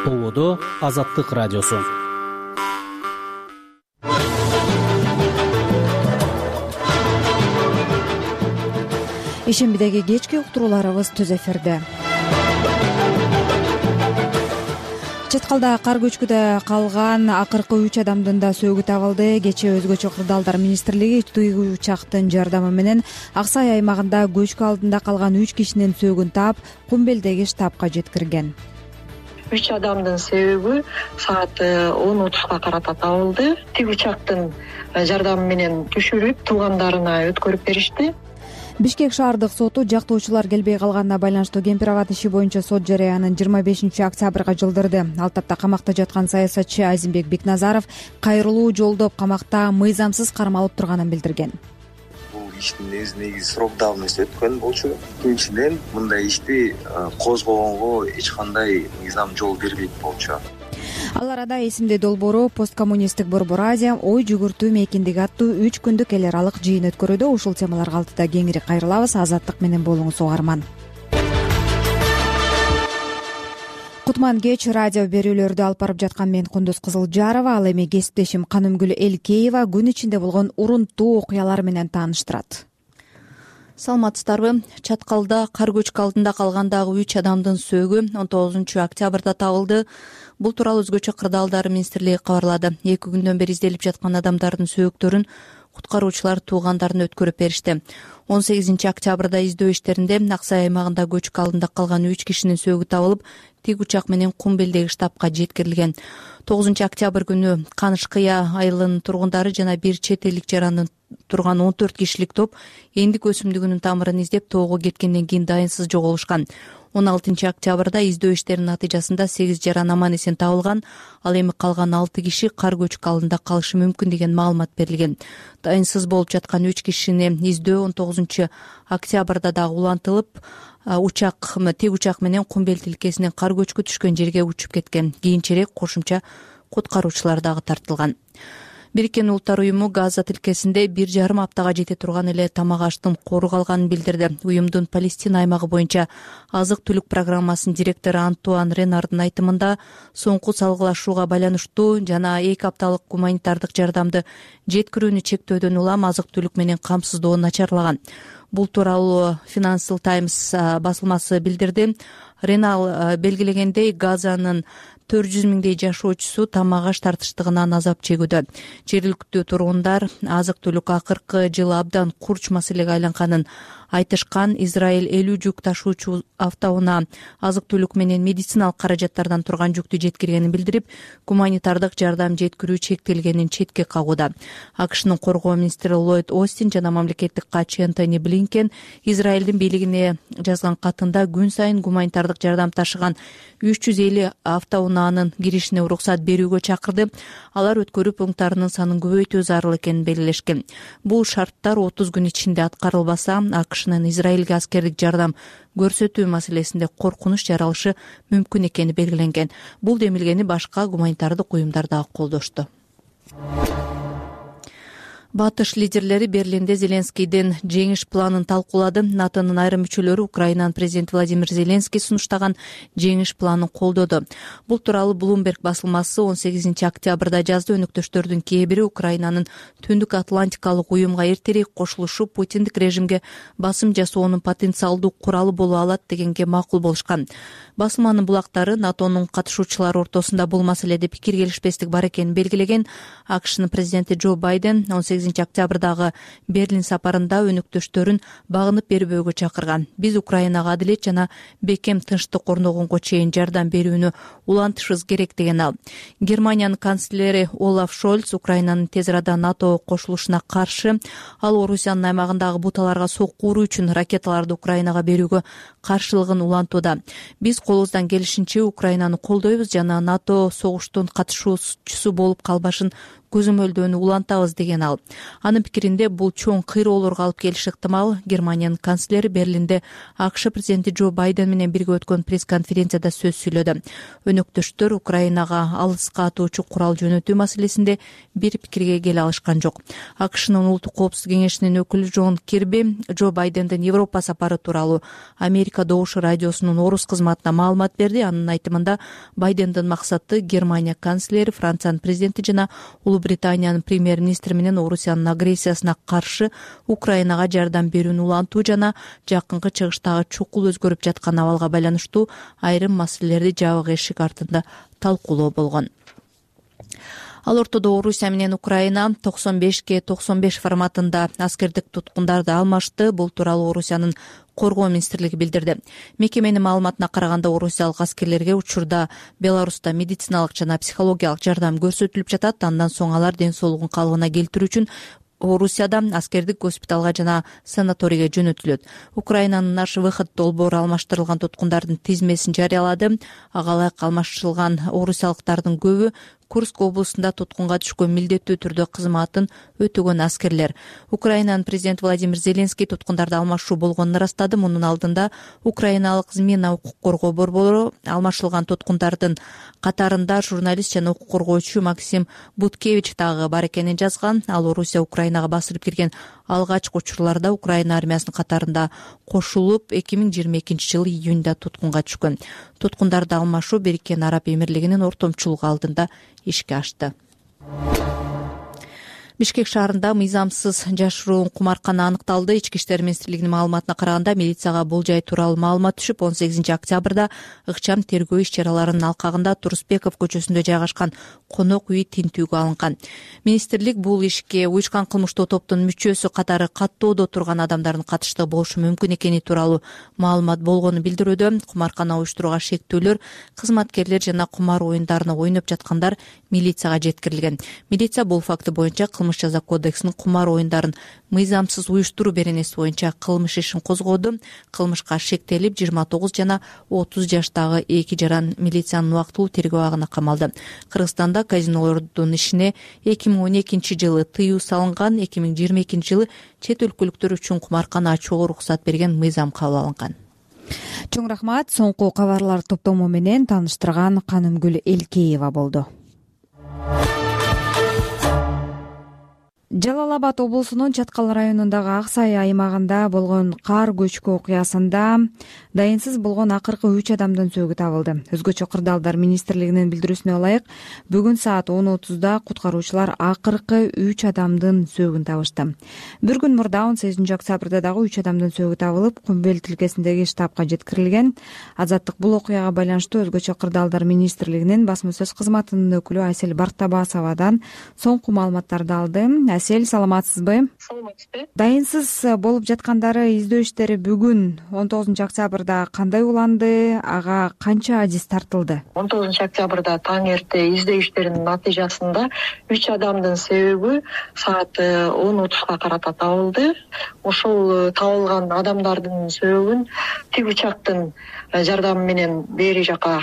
Ободо Азаттык радиосу. Ишембидеги кечки уктурууларыбыз түз эфирде. Чаткалда кар көчкүдө калган акыркы 3 адамдын да сөөгү табылды. Кечээ өзгөчө кырдаалдар министрлиги тыгуу учактын жардамы менен Ак Сай аймагында көчкү алдында калган 3 кишинин сөөгүн таап, Кумбелдеги штабка жеткирген. 3 адамдын сөөгү саат 10:30 карата табылды. Тигүү учактын жардамы менен түшүрүп, туугандарына өткөрүп беришти. Бишкек шаардык соту жактоочулар келбей калганына байланыштуу Кемпир-Абад иши боюнча сот жарыянын 25-октябрга жылдырды. Ал тапта камакта жаткан саясатчы Азимбек Бекназаров кайрылуу жолдоп камакта мыйзамсыз кармалып турганын билдирген. Бул иштин негизи срок давности өткөн болчу. Экинчиден, мындай ишти козгогонго эч кандай мыйзам жол бербейт болчу. Ал арада эсимде долбоору посткоммунисттик Борбор Азия ой жүгүртүү мейкиндиги аттуу 3 күндүк эл аралык жыйын өткөрүүдө. Ушул темаларга алтыда кеңири кайрылабыз. Азаттык менен болуңуз угарман. Кутман кеч радио берүүлөрдү алып барып жаткан мен Кундуз Кызылжарова, ал эми кесиптешим Канымгүл Элкеева күн ичинде болгон урунттуу окуялар менен тааныштырат. Саламатсыздарбы? Чаткалда кар көчкү алдында калган дагы 3 адамдын сөөгү 19-октябрда табылды. Бул тууралуу өзгөчө кырдаалдар министрлиги кабарлады. 2 күндөн бери изделип жаткан адамдардын сөөктөрүн куткаруучулар туугандарына өткөрүп беришти. 18-октябрда издөө иштеринде Ак Сай аймагында көчкү алдында калган 3 кишинин сөөгү табылып, тиг учак менен Кумбелдеги штабка жеткирилген. 9-октябрь күнү Каныш-Кыя айылынын тургундары жана бир чет элдик жарандын турган 14 кишилик топ эндик өсүмдүгүнүн тамырын издеп тоого кеткенден кийин дайынсыз жоголушкан. 16-октябрда издөө иштеринин натыйжасында 8 жаран аман эсен табылган. Ал эми калган 6 киши кар көчкү алдында калышы мүмкүн деген маалымат берилген. Дайынсыз болуп жаткан 3 кишини издөө 19-октябрда дагы улантылып, тиг учак менен Кумбел тилкесинен кар көчкү түшкөн жерге учуп кеткен. Кийинчерээк кошумча куткаруучулар дагы тартылган. Бириккен Улуттар уюму Газа тилкесинде 1,5 аптага жете турган эле тамак аштын кооругалганын билдирди. Уюмдун Палестина аймагы боюнча азык-түлүк программасынын директору Антуан Ренардын айтымында, соңку салгылашууга байланыштуу жана 2 апталык гуманитардык жардамды жеткирүүнү чектөөдөн улам азык-түлүк менен камсыздоо начарлаган. Бул тууралуу Financial Times басылмасы билдирди. Ренал белгилегендей, Газанын 400 миңдей жашоочусу тамак аш тартыштыгынан азап чегүүдө. Жергиликтүү тургундар азык-түлүк акыркы жылы абдан курч маселеге айланганын айтышкан. Израиль 50 жүк ташуучу автоунаа азык-түлүк менен медициналык каражаттардан турган жүктү жеткиргенин билдирип, гуманитардык жардам жеткирүү чектелгенин четке кагууда. AQShnын коргоо министри Ллойд Остин жана мамлекеттик катчы Энтони Блинкен Израилдин бийлигине жазган катында күн сайын гуманитардык жардам ташыган 350 автоунаанын киришине уруксат берүүгө чакырды. Алар өткөрүү пункттарынын санын көбөйтүү зарыл экенин белгилешкен. Бул шарттар 30 күн ичинде аткарылбаса, AQShnын Израилге аскердик жардам көрсөтүү маселесинде коркунуч жаралышы мүмкүн экени белгиленген. Бул демилгени башка гуманитардык уюмдар дагы колдошту. Батыш лидерлери Берлинде Зеленскийдин жеңиш планын талкуулады. НАТОнун айрым мүчөлөрү Украинанын президенти Владимир Зеленский сунуштаган жеңиш планын колдоду. Бул тууралуу Bloomberg басылмасы 18-октябрда жазды. Өнөктөштөрдүн кээ бири Украинанын Түндүк Атлантикалык уюмга эртерээк кошулушу Путиндик режимге басым жасоонун потенциалдуу куралы боло алат дегенге макул болушкан. Басылманын булактары НАТОнун катышуучулары ортосунда бул маселеде пикир келишпестик бар экенин белгилеген. AQShnын президенти Джо Байден 18-октябрдагы Берлин сапарында өнөктөштөрүн багынып бербөөгө чакырган. Биз Украинага адилет жана бекем тынчтык орногонго чейин жардам берүүнү улантышыбыз керек деген ал. Германиянын канцлери Олаф Шольц Украинанын тез арада НАТО кошулушуна каршы. Ал Орусиянын аймагындагы буталарга сокку уруу үчүн ракеталарды Украинага берүүгө каршылыгын улантууда. Биз колубуздан келишинче Украинаны колдойбуз жана НАТО согуштун катышуучусу болуп калбашын көзөмөлдөөнү улантабыз деген ал. Анын пикиринде бул чоң кыйроолорго алып келиши ыктымал. Германиянын канцлери Берлинде АКШ президенти Джо Байден менен бирге өткөн пресс-конференцияда сөз сүйлөдү. Өнөктөштөр Украинага алыска атуучу курал жөнөтүү маселесинде бир пикирге келе алышкан жок. АКШнын улуттук коопсуздук кеңешинин өкүлү Джон Кирби Джо Байдендин Европа сапары тууралуу Америка Америка Добуш радиосунун орус кызматына маалымат берди. Анын айтымында Байдендин максаты Германия канцлери, Франциянын президенти жана Улуу Британиянын премьер-министри менен Орусиянын агрессиясына каршы Украинага жардам берүүнү улантуу жана жакынкы чыгыштагы чукул өзгөрүп жаткан абалга байланыштуу айрым маселелерди жабык эшик артында талкуулоо болгон. Ал ортодо Орусия менен Украина 95/95 форматында аскердик туткундарды алмашты. Бул тууралуу Орусиянын коргоо министрлиги билдирди. Мекеменин маалыматына караганда орусиялык аскерлерге учурда Беларуста медициналык жана психологиялык жардам көрсөтүлүп жатат. Андан соң алар ден соолугун калыбына келтирүү үчүн Орусияда аскердик госпиталга жана санаторийге жөнөтүлөт. Украинанын наш выход долбоору алмаштырылган туткундардын тизмесин жарыялады. Ага ылайык алмаштырылган орусиялыктардын көбү Курск облусунда туткунга түшкөн милдеттүү түрдө кызматын өтөгөн аскерлер. Украинанын президенти Владимир Зеленский туткундарды алмашуу болгонун ырастады. Мунун алдында украиналык Змена укук коргоо борбору алмашылган туткундардын катарында журналист жана укук коргоочу Максим Буткевич дагы бар экенин жазган. Ал Орусия Украинага басылып кирген алгачкы учурларда Украина армиясынын катарында кошулуп 2022-жылы июнда туткунга түшкөн. Туткундарды алмашуу Бириккен Араб Эмирлигинин ортомчулугу алдында ишке ашты. Бишкек шаарында мыйзамсыз жашыруун кумаркана аныкталды. Ички иштер министрлигинин маалыматына караганда милицияга бул жай тууралуу маалымат түшүп, 18-октябрда ыкчам тергөө иш-чараларынын алкагында Турусбеков көчөсүндө жайгашкан конок үй тинтүүгө алынган. Министрлик бул ишке уюшкан кылмыштуу топтун мүчөсү катары каттоодо турган адамдардын катыштыгы болушу мүмкүн экени тууралуу маалымат болгонун билдирүүдө. Кумаркана уюштурууга шектүүлөр, кызматкерлер жана кумар оюндарына ойноп жаткандар милицияга жеткирилген. Милиция бул факты боюнча кылмыш жаза кодексинин кумар оюндарын мыйзамсыз уюштуруу беренеси боюнча кылмыш ишин козгоду. Кылмышка шектелип 29 жана 30 жаштагы эки жаран милициянын убактылуу тергөө абагына камалды. Кыргызстанда казинолордун ишине 2012-жылы тыюу салынган, 2022-жылы чет өлкөлүктөр үчүн кумаркана ачууга уруксат берген мыйзам кабыл алынган. Чоң рахмат. Соңку кабарлар топтому менен тааныштырган Канымгүл Элкеева болду. Жалал Абад облусунун Чаткал районундагы Ак Сай аймагында болгон кар көчкү окуясында дайынсыз болгон акыркы 3 адамдын сөөгү табылды. Өзгөчө кырдаалдар министрлигинин билдирүүсүнө ылайык, бүгүн саат 10:30 куткаруучулар акыркы 3 адамдын сөөгүн табышты. Бир күн мурда 18-октябрда дагы 3 адамдын сөөгү табылып, Күмбел тилкесиндеги штабка жеткирилген. Азаттык бул окуяга байланыштуу өзгөчө кырдаалдар министрлигинин басма сөз кызматынын өкүлү Айсел Бартабасовадан соңку маалыматтарды алды. Айсел, саламатсызбы? Саламатсызбы. Дайынсыз болуп жаткандары издөө иштери бүгүн 19-октябрда кандай уланды? Ага канча адис тартылды? 19-октябрда таң эрте издөө иштеринин натыйжасында 3 адамдын себеби саат 10:30 карата табылды. Ошол табылган адамдардын сөөгүн тик учактын жардамы менен бери жака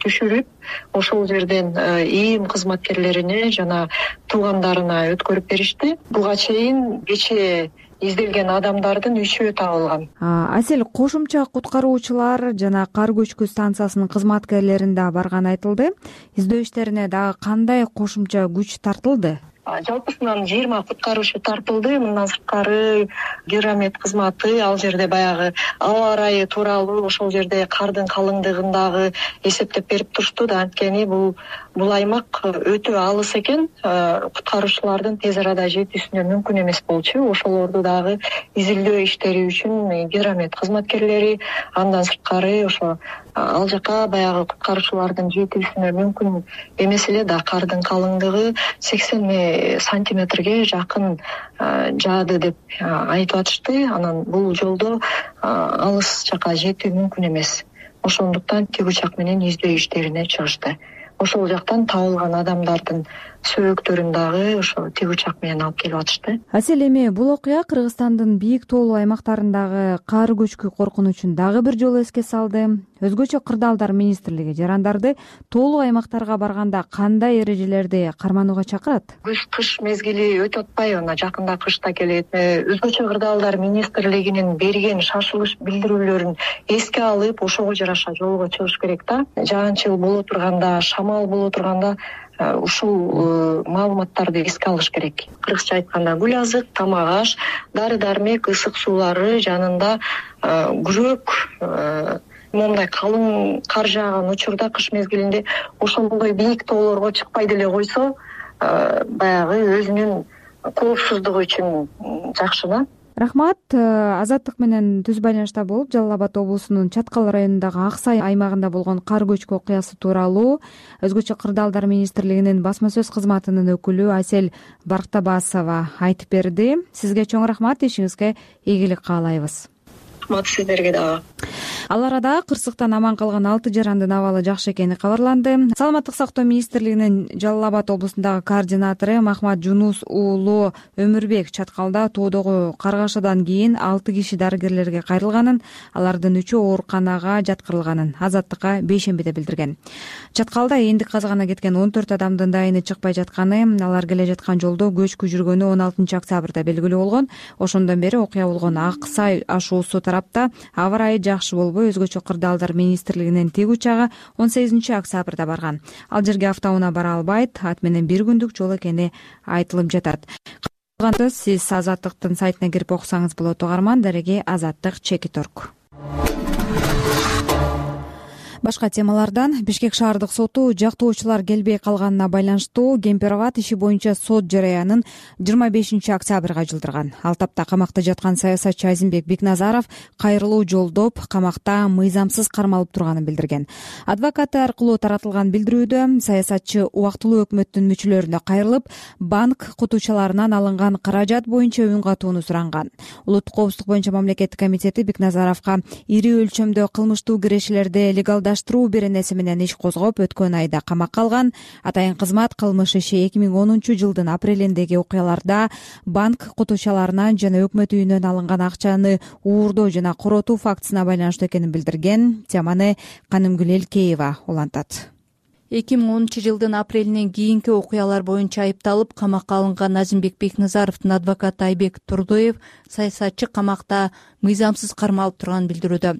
түшүрүп, ошол жерден ИИМ кызматкерлерине жана туугандарына өткөрүп беришти. Буга чейин кечээ изделген адамдардын 3-өө табылган. Айсел, кошумча куткаруучулар жана кар көчкү станциясынын кызматкерлерин да барганы айтылды. Издөө иштерине дагы кандай кошумча күч тартылды? Жалпысынан 20 куткаруучу тартылды. Мындан сырткары гидромет кызматы ал жерде баягы аба ырайы тууралуу ошол жерде кардын калыңдыгындагы эсептеп берип турушту да. Анткени бул аймак өтө алыс экен. Куткаруучулардын тез арада жетүүсүнө мүмкүн эмес болчу. Ошолорду дагы изилдөө иштери үчүн гидромет кызматкерлери, андан сырткары ошо ал жака баягы куткаруучулардын жетүүсүнө мүмкүн эмес эле да. Кардын калыңдыгы 80 сантиметрге жакын жаады деп айтып атышты. Анан бул жолдо алыс жака жетүү мүмкүн эмес. Ошондуктан тик учак менен издөө иштерине чыгышты. Ошол жактан табылган адамдардын сөөгүктөрүн дагы ошо тик учак менен алып келип атышты. Айсел, эми бул окуя Кыргызстандын бийик тоолуу аймактарындагы кар көчкү коркунучун дагы бир жолу эске салды. Өзгөчө кырдаалдар министрлиги жарандарды тоолуу аймактарга барганда кандай эрежелерди карманууга чакырат? Кыш мезгили өтүп атпайбы? Мына жакында кыш да келет. Өзгөчө кырдаалдар министрлигинин берген шашылыш билдирүүлөрүн эске алып, ошого жараша жолго чыгыш керек да. Жаанчыл боло турганда, шамал боло турганда ушул маалыматтарды эске алыш керек. Кыргызча айтканда гүл азык, тамак аш, дары дармек, ысык суулары жанында күрөк, моундай калың кар жааган учурда кыш мезгилинде ошондой бийик тоолорго чыкпай деле койсо баягы өзүнүн коопсуздугу үчүн жакшы да. Рахмат. Азаттык менен түз байланышта болуп, Жалал Абад облусунун Чаткал районундагы Ак Сай аймагында болгон кар көчкү окуясы тууралуу Өзгөчө кырдаалдар министрлигинин басма сөз кызматынын өкүлү Асель Барктабасова айтып берди. Сизге чоң рахмат, ишиңизге ийгилик каалайбыз. Рахмат сиздерге дагы. Ал арада кырсыктан аман калган 6 жарандын абалы жакшы экени кабарланды. Саламаттык сактоо министрлигинин Жалал Абад облусундагы координатору Махмат Жунус уулу Өмүрбек Чаткалда тоодогу каргашадан кийин 6 киши дарыгерлерге кайрылганын, алардын 3-ü ооруканага жаткырылганын Азаттыкка бейшембиде билдирген. Чаткалда эндик казгана кеткен 14 адамдын дайыны чыкпай жатканы, алар келе жаткан жолдо көчкү жүргөнү 16 октябрда белгилүү болгон. Ошондон бери окуя болгон Ак Сай ашуусу тарапта аба ырайы жакшы болбой, Өзгөчө кырдаалдар министрлигинин тик учагы 18 октябрда барган. Ал жерге автоунаа бара албайт, ат менен 1 күндүк жол экени айтылып жатат. Сиз Азаттыктын сайтына кирип окусаңыз болот. Угарман дареги Азаттык.org. Башка темалардан Бишкек шаардык соту жактоочулар келбей калганына байланыштуу Кемпироват иши боюнча сот жараянын 25 октябрга жылдырган. Ал тапта камакта жаткан саясатчы Азимбек Бекназаров кайрылуу жолдоп, камакта мыйзамсыз кармалып турганын билдирген. Адвокаты аркылуу таратылган билдирүүдө саясатчы убактылуу өкмөттүн мүчөлөрүнө кайрылып, банк кутуучаларынан алынган каражат боюнча үн катууну суранган. Улуттук коопсуздук боюнча мамлекеттик комитети Бекназаровго ири өлчөмдө кылмыштуу кирешелерди легалдаштыруу беренеси менен иш козгоп, өткөн айда камакка алган. Атайын кызмат кылмыш иши 2010 жылдын апрелиндеги окуяларда банк кутуучаларынан жана өкмөт үйүнөн алынган акчаны уурдоо жана коротуу фактысына байланыштуу экенин билдирген. Теманы Канымгүл Элкеева улантат. 2010 жылдын апрелинен кийинки окуялар боюнча айыпталып камакка алынган Азимбек Бекназаровдун адвокаты Айбек Турдоев саясатчы камакта мыйзамсыз кармалып турганын билдирүүдө.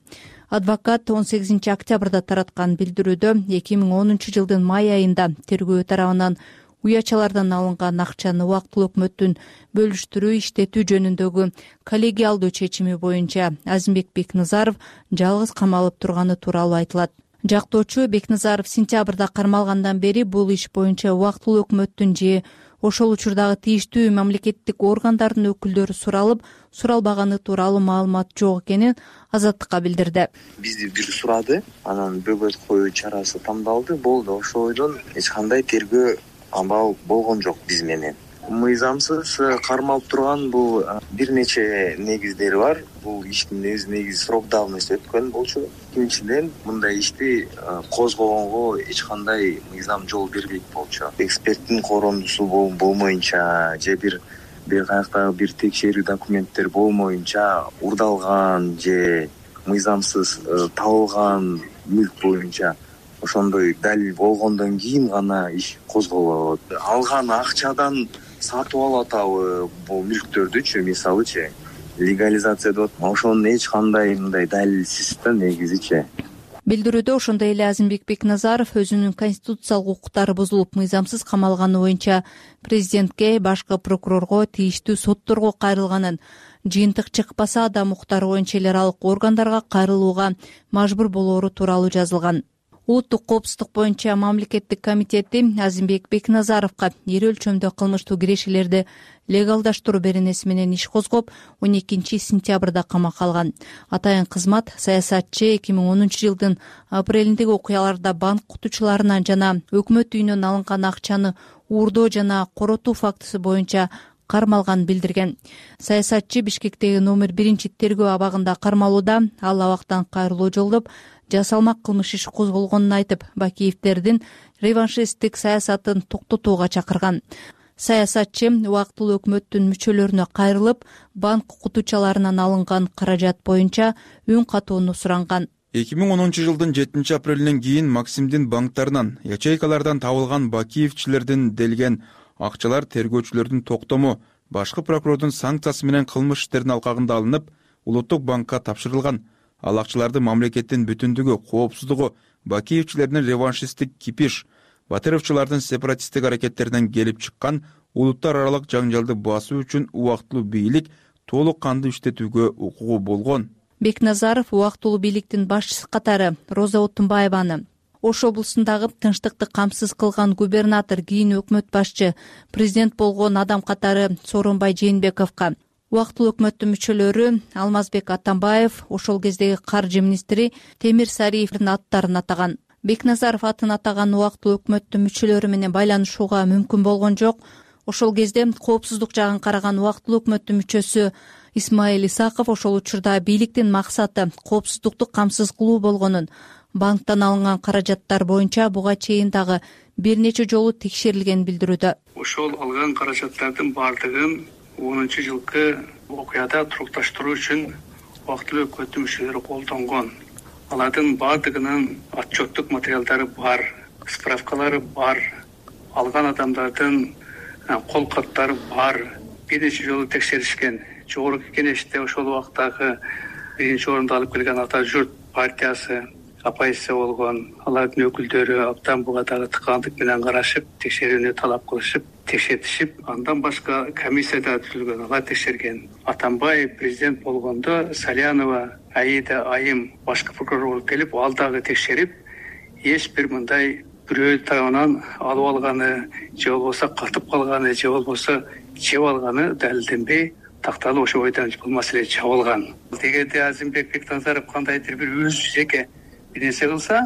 Адвокат 18 октябрда тараткан билдирүүдө 2010 жылдын май айында тергөө тарабынан уячалардан алынган акчаны убактылуу өкмөттүн бөлүштүрүү иштетүү жөнүндөгү коллегиалдуу чечими боюнча Азимбек Бекназаров жалгыз камалып турганы тууралуу айтылат. Жактоочу Бекназаров сентябрда кармалгандан бери бул иш боюнча убактылуу өкмөттүн же ошол учурдагы тийиштүү мамлекеттик органдардын өкүлдөрү суралып, суралбаганы тууралуу маалымат жок экенин Азаттыкка билдирди. Бизди бир сурады, анан бөгөт коюу чарасы тандалды, болду. Ошойдон эч кандай тергөө амал болгон жок биз менен. Мыйзамсыз кармалып турган бул бир нече негиздери бар. Бул иштин негизи срок давности өткөн болчу. Экинчиден, мындай ишти козгогонго эч кандай мыйзам жол бербейт болчу. Эксперттин корондусу болмоюнча же бир каяктагы бир текшерүү документтер болмоюнча урдалган же мыйзамсыз табылган мүлк боюнча ошондой далил болгондон кийин гана иш козголот. Алган акчадан сатып алып атабы бул мүлктөрдүчү, мисалычы легализация деп атат. Ошонун эч кандай мындай далилсиз да негизичи. Билдирүүдө ошондой эле Азимбек Бекназаров өзүнүн конституциялык укуктары бузулуп мыйзамсыз камалганы боюнча президентке, башкы прокурорго, тийиштүү сотторго кайрылганын, жыйынтык чыкпаса да укуктары боюнча эл аралык органдарга кайрылууга мажбур болоору тууралуу жазылган. Улуттук коопсуздук боюнча мамлекеттик комитети Азимбек Бекназаровго ири өлчөмдө кылмыштуу кирешелерди легалдаштыруу беренеси менен иш козгоп, 12 сентябрда камакка алган. Атайын кызмат саясатчы 2010 жылдын апрелиндеги окуяларда банк кутуучуларынан жана өкмөт үйүнөн алынган акчаны уурдоо жана коротуу фактысы боюнча кармалганын билдирген. Саясатчы Бишкектеги номер 1 тергөө абагында кармалууда. Ал абактан кайрылуу жолдоп, жасалмак кылмыш иш козголгонун айтып, Бакиевдердин реваншисттик саясатын токтотууга чакырган. Саясатчы убактылуу өкмөттүн мүчөлөрүнө кайрылып, банк кутуучаларынан алынган каражат боюнча үн катууну суранган. 2010 жылдын 7 апрелинен кийин Максимдин банктарынан, ячейкалардан табылган Бакиевчилердин делген акчалар тергөөчүлөрдүн токтому, башкы прокурордун санкциясы менен кылмыш иштердин алкагында алынып, улуттук банкка тапшырылган. Ал акчаларды мамлекеттин бүтүндүгү, коопсуздугу, Бакиевчилердин реваншисттик кипиш, батыровчулардын сепаратисттик аракеттеринен келип чыккан улуттар аралык жаңжалды басуу үчүн убактылуу бийлик толук кандуу иштетүүгө укугу болгон. Бекназаров убактылуу бийликтин башчысы катары Роза Отунбаеваны, Ош облусундагы тынчтыкты камсыз кылган губернатор, кийин өкмөт башчы, президент болгон адам катары Сооронбай Жээнбековго, убактылуу өкмөттүн мүчөлөрү Алмазбек Атамбаев, ошол кездеги каржы министри Темир Сариевдин аттарын атаган. Бекназаров атын атаган убактылуу өкмөттүн мүчөлөрү менен байланышууга мүмкүн болгон жок. Ошол кезде коопсуздук жагын караган убактылуу өкмөттүн мүчөсү Исмаил Исаков ошол учурда бийликтин максаты коопсуздукту камсыз кылуу болгонун, банктан алынган каражаттар боюнча буга чейин дагы бир нече жолу текшерилгенин билдирүүдө. Ошол алган каражаттардын бардыгын 10-жылкы окуяда турукташтыруу үчүн убактылуу өкмөттүн мүчөлөрү колдонгон. Алардын бардыгынын отчеттук материалдары бар, справкалары бар, алган адамдардын кол каттары бар, бир нече жолу текшеришкен. Жогорку кеңеште ошол убактагы биринчи орунду алып келген Ата журт партиясы оппозиция болгон, алардын өкүлдөрү абдан буга дагы тыкандык менен карашып, текшерүүнү талап кылышып, текшертишип, андан башка комиссия да түзүлгөн, алар текшерген. Атамбаев президент болгондо Салянова, Аида Айым башкы прокурор болуп келип, ал дагы текшерип, эч бир мындай бирөө тарабынан алып алганы, же болбосо катып калганы, же болбосо жеп алганы далилденбей, такталып ошол бойдон бул маселе чабылган. Эгерде Азимбек Бекназаров кандайдыр бир өз жеке бир нерсе кылса,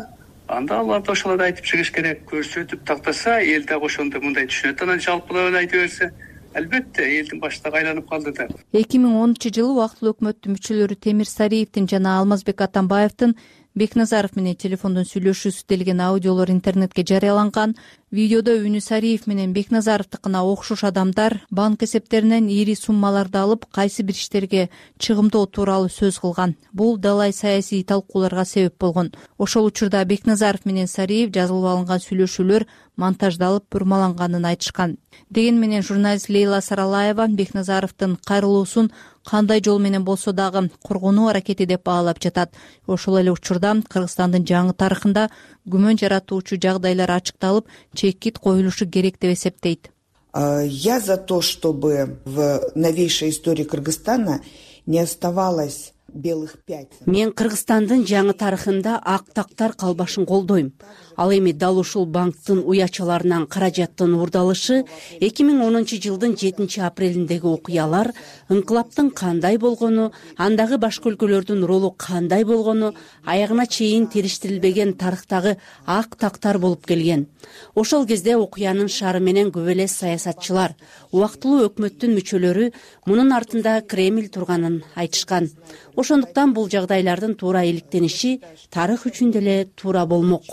анда аларды ошолорду айтып чыгыш керек, көрсөтүп тактаса, эл дагы ошондо мындай түшүнөт, анан жалпылап айта берсе, албетте элдин башы дагы айланып калды да. 2010-жылы убактылуу өкмөттүн мүчөлөрү Темир Сариевдин жана Алмазбек Атамбаевдин Бекназаров менен телефондон сүйлөшүүсү делген аудиолор интернетке жарыяланган. Видеодо үнү Сариев менен Бекназаровдукуна окшош адамдар банк эсептеринен ири суммаларды алып, кайсы бир иштерге чыгымдоо тууралуу сөз кылган. Бул далай саясий талкууларга себеп болгон. Ошол учурда Бекназаров менен Сариев жазылып алынган сүйлөшүүлөр монтаждалып, бурмаланганын айтышкан. Деген менен журналист Лейла Саралаева Бекназаровдун кайрылуусун кандай жол менен болсо дагы коргонуу аракети деп баалап жатат. Ошол эле учурда Кыргызстандын жаңы тарыхында күмөн жаратуучу жагдайлар ачыкталып, чекит коюлушу керек деп эсептейт. Я за то, чтобы в новейшей истории Кыргызстана не оставалось белых пятен. Мен Кыргызстандын жаңы тарыхында ак тактар калбашын колдойм. Ал эми дал ушул банктын уячаларынан каражаттын уурдалышы 2010-жылдын 7-апрелиндеги окуялар, ыңкылаптын кандай болгону, андагы башка өлкөлөрдүн ролу кандай болгону, аягына чейин териштирилбеген тарыхтагы ак тактар болуп келген. Ошол кезде окуянын шары менен көп эле саясатчылар, убактылуу өкмөттүн мүчөлөрү мунун артында Кремль турганын айтышкан. Ошондуктан бул жагдайлардын туура иликтениши тарых үчүн деле туура болмок.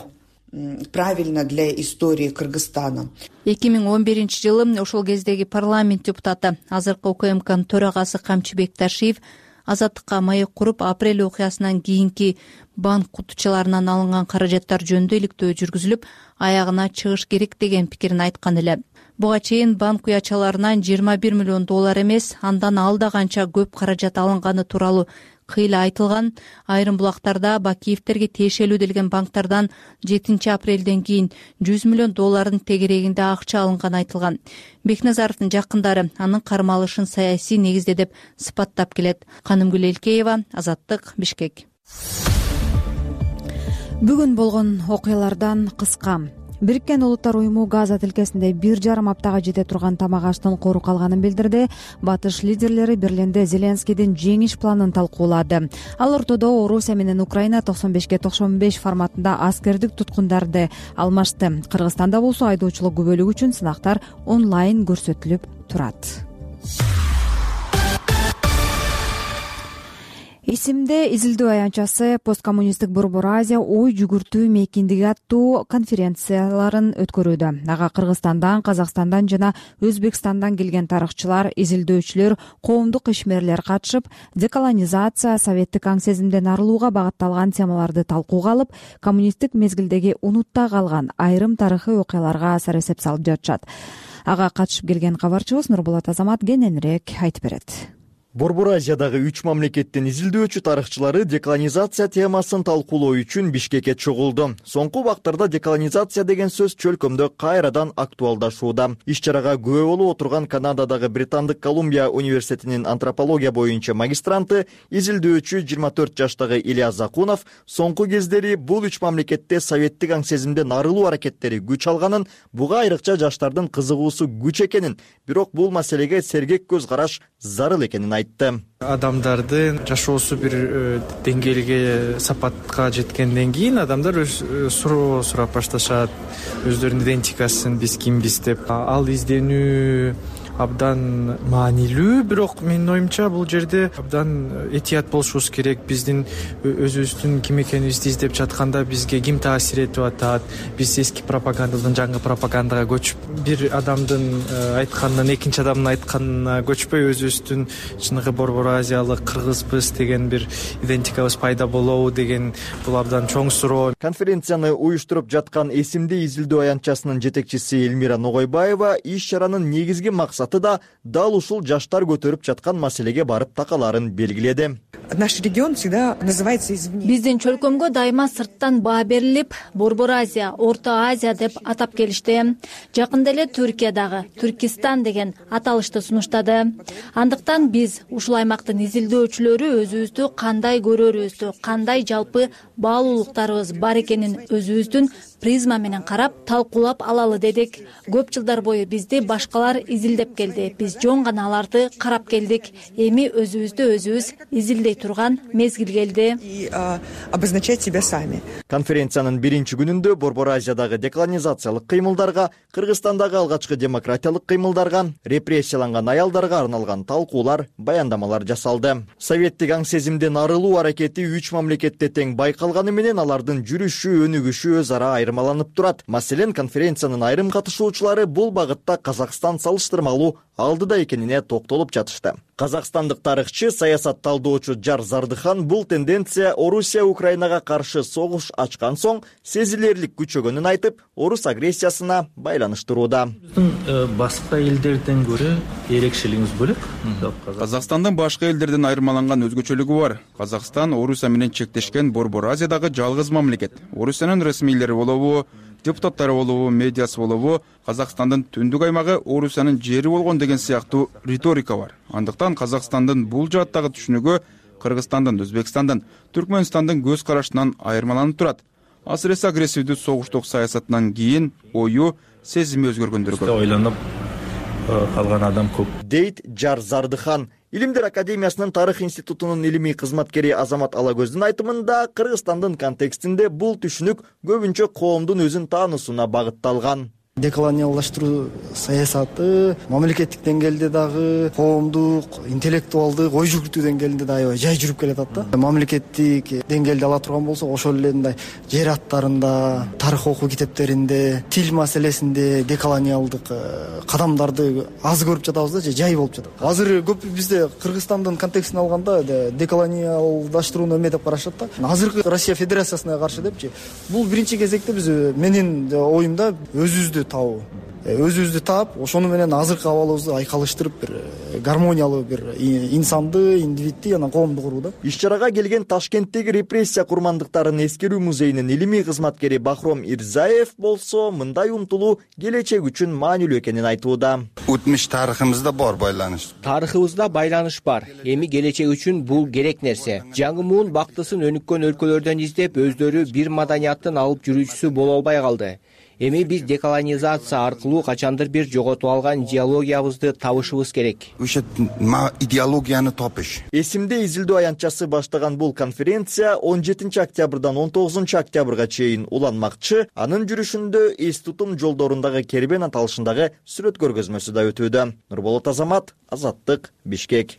Правильно для истории Кыргызстана. 2011-жылы ошол кездеги парламент депутаты, азыркы УКМКнын төрагасы Камчыбек Ташиев Азаттыкка маек куруп, апрель окуясынан кийинки банк кутучаларынан алынган каражаттар жөнүндө иликтөө жүргүзүлүп, аягына чыгыш керек деген пикирин айткан эле. Буга чейин банк уячаларынан $21 миллион эмес, андан алда канча көп каражат алынганы тууралуу кыйла айтылган. Айрым булактарда Бакиевтерге тиешелүү делген банктардан 7-апрелден кийин $100 миллион тегерегинде акча алынганы айтылган. Бекназаровдун жакындары анын кармалышын саясий негизде деп сыпаттап келет. Канымгүл Элкеева, Азаттык, Бишкек. Бүгүн болгон окуялардан кыска. Бириккен Улуттар уюму Газа тилкесинде 1,5 аптага жете турган тамак аштын кору калганын билдирди. Батыш лидерлери Берлинде Зеленскийдин жеңиш планын талкуулады. Ал ортодо Орусия менен Украина 95-95 форматында аскердик туткундарды алмашты. Кыргызстанда болсо айдоочулук күбөлүк үчүн сынактар онлайн көрсөтүлүп турат. Исимде изилдөө аянтчасы посткоммунисттик Борбор Азия ой жүгүртүү мейкиндиги аттуу конференцияларын өткөрүүдө. Ага Кыргызстандан, Казакстандан жана Өзбекстандан келген тарыхчылар, изилдөөчүлөр, коомдук ишмерлер катышып, деколонизация, советтик аң сезимден арылууга багытталган темаларды талкууга алып, коммунисттик мезгилдеги унутта калган айрым тарыхый окуяларга асар эсеп салып жатышат. Ага катышып келген кабарчыбыз Нурболот Азамат кененирээк айтып берет. Борбор Азиядагы 3 мамлекеттин изилдөөчү тарыхчылары деколонизация темасын талкуулоо үчүн Бишкекке чогулду. Соңку убактарда деколонизация деген сөз чөлкөмдө кайрадан актуалдашууда. Иш-чарага күбө болуп отурган Канададагы Британдык Колумбия университетинин антропология боюнча магистранты, изилдөөчү 24 жаштагы Ильяс Закунов соңку кездери бул 3 мамлекетте советтик аң сезимден арылуу аракеттери күч алганын, буга айрыкча жаштардын кызыгуусу күч экенин, бирок бул маселеге сергек көз караш зарыл экенин айтты. Адамдардын жашоосу бир деңгээлге, сапатка жеткенден кийин адамдар суроо сурап башташат, өздөрүнүн идентикасын, биз кимбиз деп. Ал изденүү абдан маанилүү, бирок менин оюмча бул жерде абдан этият болушубуз керек. Биздин өзүбүздүн ким экенибизди издеп жатканда бизге ким таасир этип атат, биз эски пропагандадан жаңы пропагандага көчүп, бир адамдын айтканынан экинчи адамдын айтканына көчпөй, өзүбүздүн чыныгы борбор азиялык кыргызбыз деген бир идентикабыз пайда болобу деген бул абдан чоң суроо. Конференцияны уюштуруп жаткан Эсимде изилдөө аянтчасынын жетекчиси Элмира Ногойбаева иш-чаранын негизги максаты да дал ушул жаштар көтөрүп жаткан маселеге барып такалаарын белгиледи. Наш регион всегда называется извне. Биздин чөлкөмгө дайыма сырттан баа берилип, Борбор Азия, Орто Азия деп атап келишти. Жакында эле Түркиядагы Түркистан деген аталышты сунуштады. Андыктан биз ушул аймактын изилдөөчүлөрү өзүбүздү кандай көрөрүбүздү, кандай жалпы баалуулуктарыбыз бар экенин өзүбүздүн призма менен карап, талкуулап алалы дедик. Көп жылдар бою бизди башкалар изилдеп келди. Биз жөн гана аларды карап келдик. Эми өзүбүздү өзүбүз изилдей турган мезгил келди. И обозначать себя сами. Конференциянын биринчи күнүндө Борбор Азиядагы деколонизациялык кыймылдарга, Кыргызстандагы алгачкы демократиялык кыймылдарга, репрессияланган аялдарга арналган талкуулар, баяндамалар жасалды. Советтик аң сезимден арылуу аракети 3 мамлекетте тең байкалганы менен алардын жүрүшү, өнүгүшү өз ара айырмаланып турат. Маселен, конференциянын айрым катышуучулары бул багытта Казакстан салыштырмалуу алдыда экенине токтолуп жатышты. Казакстандык тарыхчы, саясат талдоочу Жар Зардыхан бул тенденция Орусия Украинага каршы согуш ачкан соң сезилерлик күчөгөнүн айтып, орус агрессиясына байланыштырууда. Башка элдерден көрө эрекшелигибиз бөлөк. Казакстандын башка элдерден айырмаланган өзгөчөлүгү бар. Казакстан Орусия менен чектешкен Борбор Азиядагы жалгыз мамлекет. Орусиянын расмийлери болобу, депутаттары болобу, медиасы болобу, Казакстандын түндүк аймагы Орусиянын жери болгон деген сыяктуу риторика бар. Андыктан Казакстандын бул жааттагы түшүнүгү Кыргызстандын, Өзбекстандын, Түркмөнстандын көз карашынан айырмаланып турат. Асыресе агрессивдүү согуштук саясатынан кийин ою, сезими өзгөргөндөргө ойлонуп калган адам көп, дейт Жар Зардыхан. Илимдер академиясынын тарых институтунун илимий кызматкери Азамат Алагөздүн айтымында, Кыргызстандын контекстинде бул түшүнүк көбүнчө коомдун өзүн таануусуна багытталган. Деколониалдаштыруу саясаты мамлекеттик деңгээлде дагы, коомдук, интеллектуалдык, ой жүгүртүү деңгээлинде да аябай жай жүрүп келатат да. Мамлекеттик деңгээлде ала турган болсок, ошол эле мындай жер аттарында, тарых окуу китептеринде, тил маселесинде деколониалдык кадамдарды аз көрүп жатабыз да, же жай болуп жатат. Азыр көп бизде Кыргызстандын контекстин алганда деколониалдаштырууну эме деп карашат да. Азыркы Россия Федерациясына каршы депчи. Бул биринчи кезекте биз менин оюмда өзүбүздү таап, ошону менен азыркы абалыбызды айкалыштырып, бир гармониялуу бир инсанды, индивидти жана коомду курууда. Иш-чарага келген Ташкенттеги репрессия курмандыктарын эскерүү музейинин илимий кызматкери Бахром Ирзаев болсо, мындай умтулуу келечек үчүн маанилүү экенин айтууда. Өтмүш тарыхыбызда бар байланыш. Тарыхыбызда байланыш бар. Эми келечек үчүн бул керек нерсе. Жаңы муун бактысын өнүккөн өлкөлөрдөн издеп, өздөрү бир маданияттын алып жүрүүчүсү боло албай калды. Эми биз деколонизация аркылуу качандыр бир жоготуп алган идеологиябызды табышыбыз керек. Ошо идеологияны тапыш. Эсимде изилдөө аянтчасы баштаган бул конференция 17 октябрдан 19 октябрга чейин уланмакчы. Анын жүрүшүндө эс тутум жолдорундагы кербен аталышындагы сүрөт көргөзмөсү да өтүүдө. Нурболот Азамат, Азаттык, Бишкек.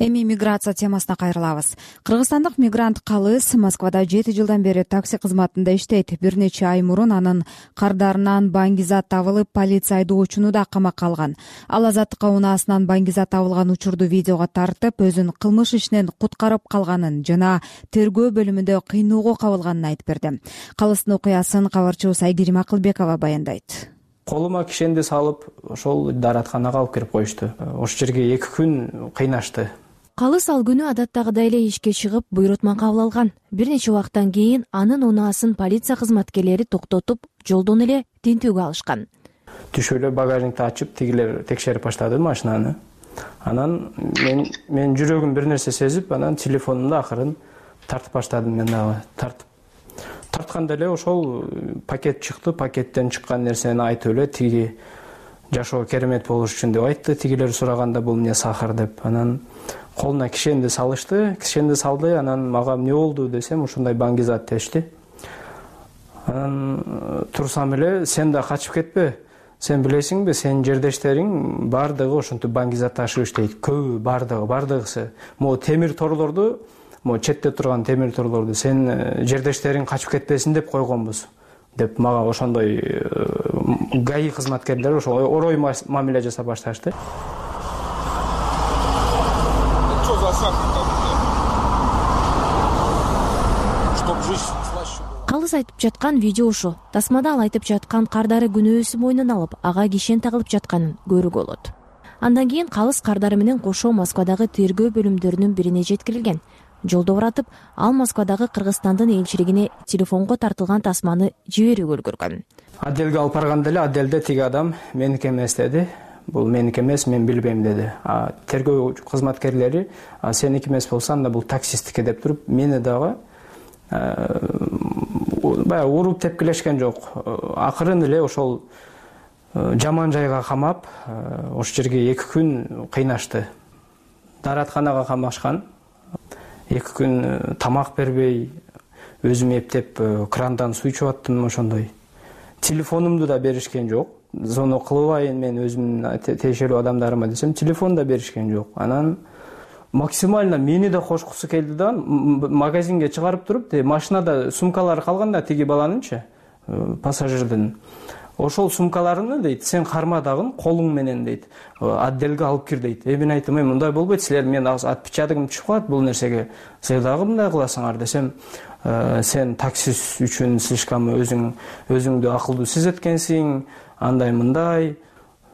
Эми миграция темасына кайрылабыз. Кыргызстандык мигрант Калыс Москвада 7 жылдан бери такси кызматында иштейт. Бир нече ай мурун анын кардарынан баңгизат табылып, полиция айдоочуну да камакка алган. Ал Азаттыкка унаасынан баңгизат табылган учурду видеого тартып, өзүн кылмыш ишинен куткарып калганын жана тергөө бөлүмүндө кыйноого кабылганын айтып берди. Калыстын окуясын кабарчыбыз Айгерим Акылбекова баяндайт. Колума кишенди салып, ошол дааратканага алып кирип коюшту. Ошол жерге 2 күн кыйнашты. Калыс ал күнү адаттагыдай эле ишке чыгып буйрутма кабыл алган. Бир нече убакыттан кийин анын унаасын полиция кызматкерлери токтотуп, жолдон эле тинтүүгө алышкан. Түшүп эле багажникти ачып, тигилер текшерип баштады машинаны. Анан мен жүрөгүм бир нерсе сезип, анан телефонумду акырын тартып баштадым. Мен дагы тартканда эле ошол пакет чыкты. Пакеттен чыккан нерсени айтып эле тиги жашоо керемет болуш үчүн деп айтты. Тигилер сураганда бул эмне сахар деп. Анан колуна кишенди салышты. Кишенди салды. Анан мага эмне болду десем, ушундай баңгизат дешти. Анан турсам эле, сен да качып кетпе. Сен билесиңби, сенин жердештериң бардыгы ошентип баңгизат ташып иштейт. Көбү бардыгысы. Могу темир торлорду, могу четте турган темир торлорду сен жердештериң качып кетпесин деп койгонбуз деп мага ошондой ГАИ кызматкерлери ошо орой мамиле жасап башташты. Калыс айтып жаткан видео ушу. Тасмада ал айтып жаткан кардары күнөөсү мойнуна алып, ага кишен тагылып жатканын көрүүгө болот. Андан кийин Калыс кардары менен кошо Москвадагы тергөө бөлүмдөрүнүн бирине жеткирилген. Жолдо баратып, ал Москвадагы Кыргызстандын элчилигине телефонго тартылган тасманы жиберүүгө үлгүргөн. Отделге алып барганда эле отделде тиги адам меники эмес деди. Бул меники эмес, мен билбейм деди. Тергөө кызматкерлери сеники эмес болсо анда бул таксисттики деп туруп, мени дагы баягы уруп тепкилешкен жок. Акырын эле ошол жаман жайга камап, ошол жерге 2 күн кыйнашты. Даратканага камашкан. 2 күн тамак бербей, өзүм эптеп крандан суу ичип аттым ошондой. Телефонумду да беришкен жок. Зону кылбайын мен өзүмдүн тиешелүү адамдарыма десем, телефон да беришкен жок. Анан максимально мени да кошкусу келди да, магазинге чыгарып туруп, машинада сумкалары калганда тиги баланынчы, пассажирдин. Ошол сумкаларыны дейт, сен карма дагы колуң менен дейт, отделге алып кир дейт. Мен айттым, мындай болбойт, силер мен отпечатогум түшүп калат бул нерсеге. Силер дагы мындай кыласыңар десем, сен таксист үчүн слишком өзүңдү акылдуу сезеткенсиң, андай мындай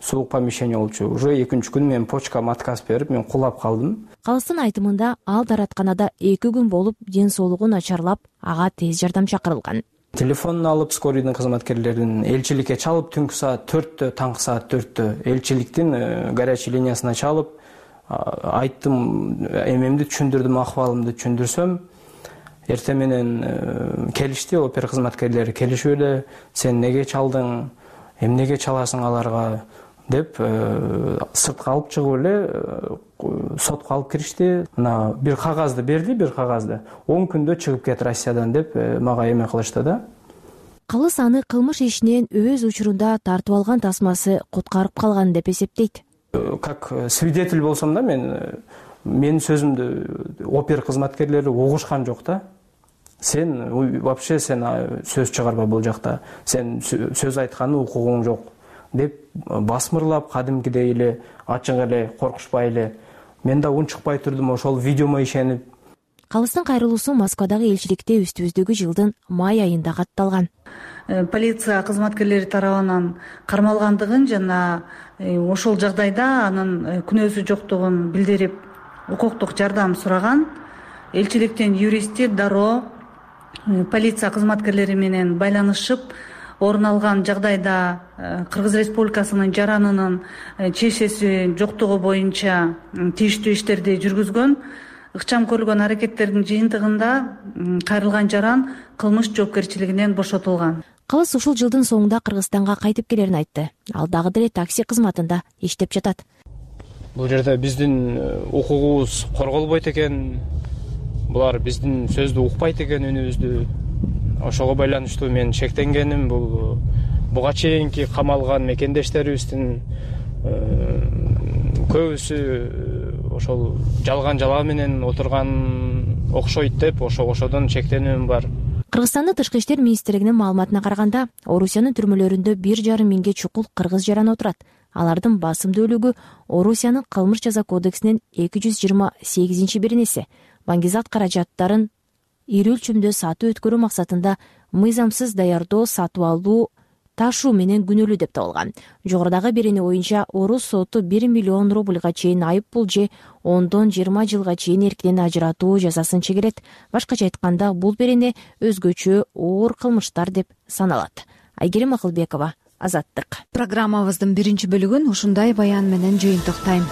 суук помещение болчу. Уже 2-күн мен почкама отказ берип, мен кулап калдым. Калыстын айтымында ал даратканада 2 күн болуп, ден соолугу начарлап, ага тез жардам чакырылган. Телефонун алып, скорыйдын кызматкерлерин элчиликке чалып, түнкү саат 4-тө, таңкы саат 4-тө элчиликтин горячий линиясына чалып, айттым, эмемди түшүндүрдүм, акыбалымды түшүндүрсөм, эртең менен келишти, опер кызматкерлери келишип эле, сен неге чалдың, эмнеге чаласың аларга деп сыртка алып чыгып эле сотко алып киришти. Мына бир кагазды берди, бир кагазды. 10 күндө чыгып кет Россиядан деп мага эме кылышты да. Калыс аны кылмыш ишинен өз учурунда тартып алган тасмасы куткарып калган деп эсептейт. Как свидетель болсом да, менин сөзүмдү опер кызматкерлери угушкан жок да. Сен вообще сөз чыгарба бул жакта. Сен сөз айтканды укугуң жок деп басмырлап, кадимкидей эле ачык эле, коркушпай эле. Мен да унчукпай турдум, ошол видеомо ишенип. Калыстын кайрылуусу Москвадагы элчиликте үстүбүздөгү жылдын май айында катталган. Полиция кызматкерлери тарабынан кармалгандыгын жана ошол жагдайда анын күнөөсү жоктугун билдирип, укуктук жардам сураган. Элчиликтин юристи дароо полиция кызматкерлери менен байланышып, орун алган жагдайда Кыргыз Республикасынын жаранынын чечеси жоктугу боюнча тийиштүү иштерди жүргүзгөн. Ыкчам көрүлгөн аракеттердин жыйынтыгында кайрылган жаран кылмыш жоопкерчилигинен бошотулган. Калыс ушул жылдын соңунда Кыргызстанга кайтып келерин айтты. Ал дагы деле такси кызматында иштеп жатат. Бул жерде биздин укугубуз корголбойт экен, булар биздин сөздү укпайт экен, үнүбүздү. Ошого байланыштуу мен шектенгеним. Буга чейинки камалган мекендештерибиздин көбүсү ошол жалган жалаа менен отурган окшойт деп, ошодон шектенүүм бар. Кыргызстандын Тышкы иштер министрлигинин маалыматына караганда, Орусиянын түрмөлөрүндө 1,5 миңге чукул кыргыз жаран отурат. Алардын басымдуулугу Орусиянын кылмыш жаза кодексинин 228-беренеси баңгизат каражаттарын ири өлчөмдө сатуу өткөрүү максатында мыйзамсыз даярдоо, сатып алуу, ташуу менен күнөөлүү деп табылган. Жогорудагы бирини оюнча орус соту 1 миллион рубльга чейин айып пул же 10-20 жылга чейин эркинен ажыратуу жазасын чегерет. Башкача айтканда, бул берене өзгөчө оор кылмыштар деп саналат. Айгерим Акылбекова, Азаттык. Программабыздын биринчи бөлүгүн ушундай баян менен жыйынтыктайм.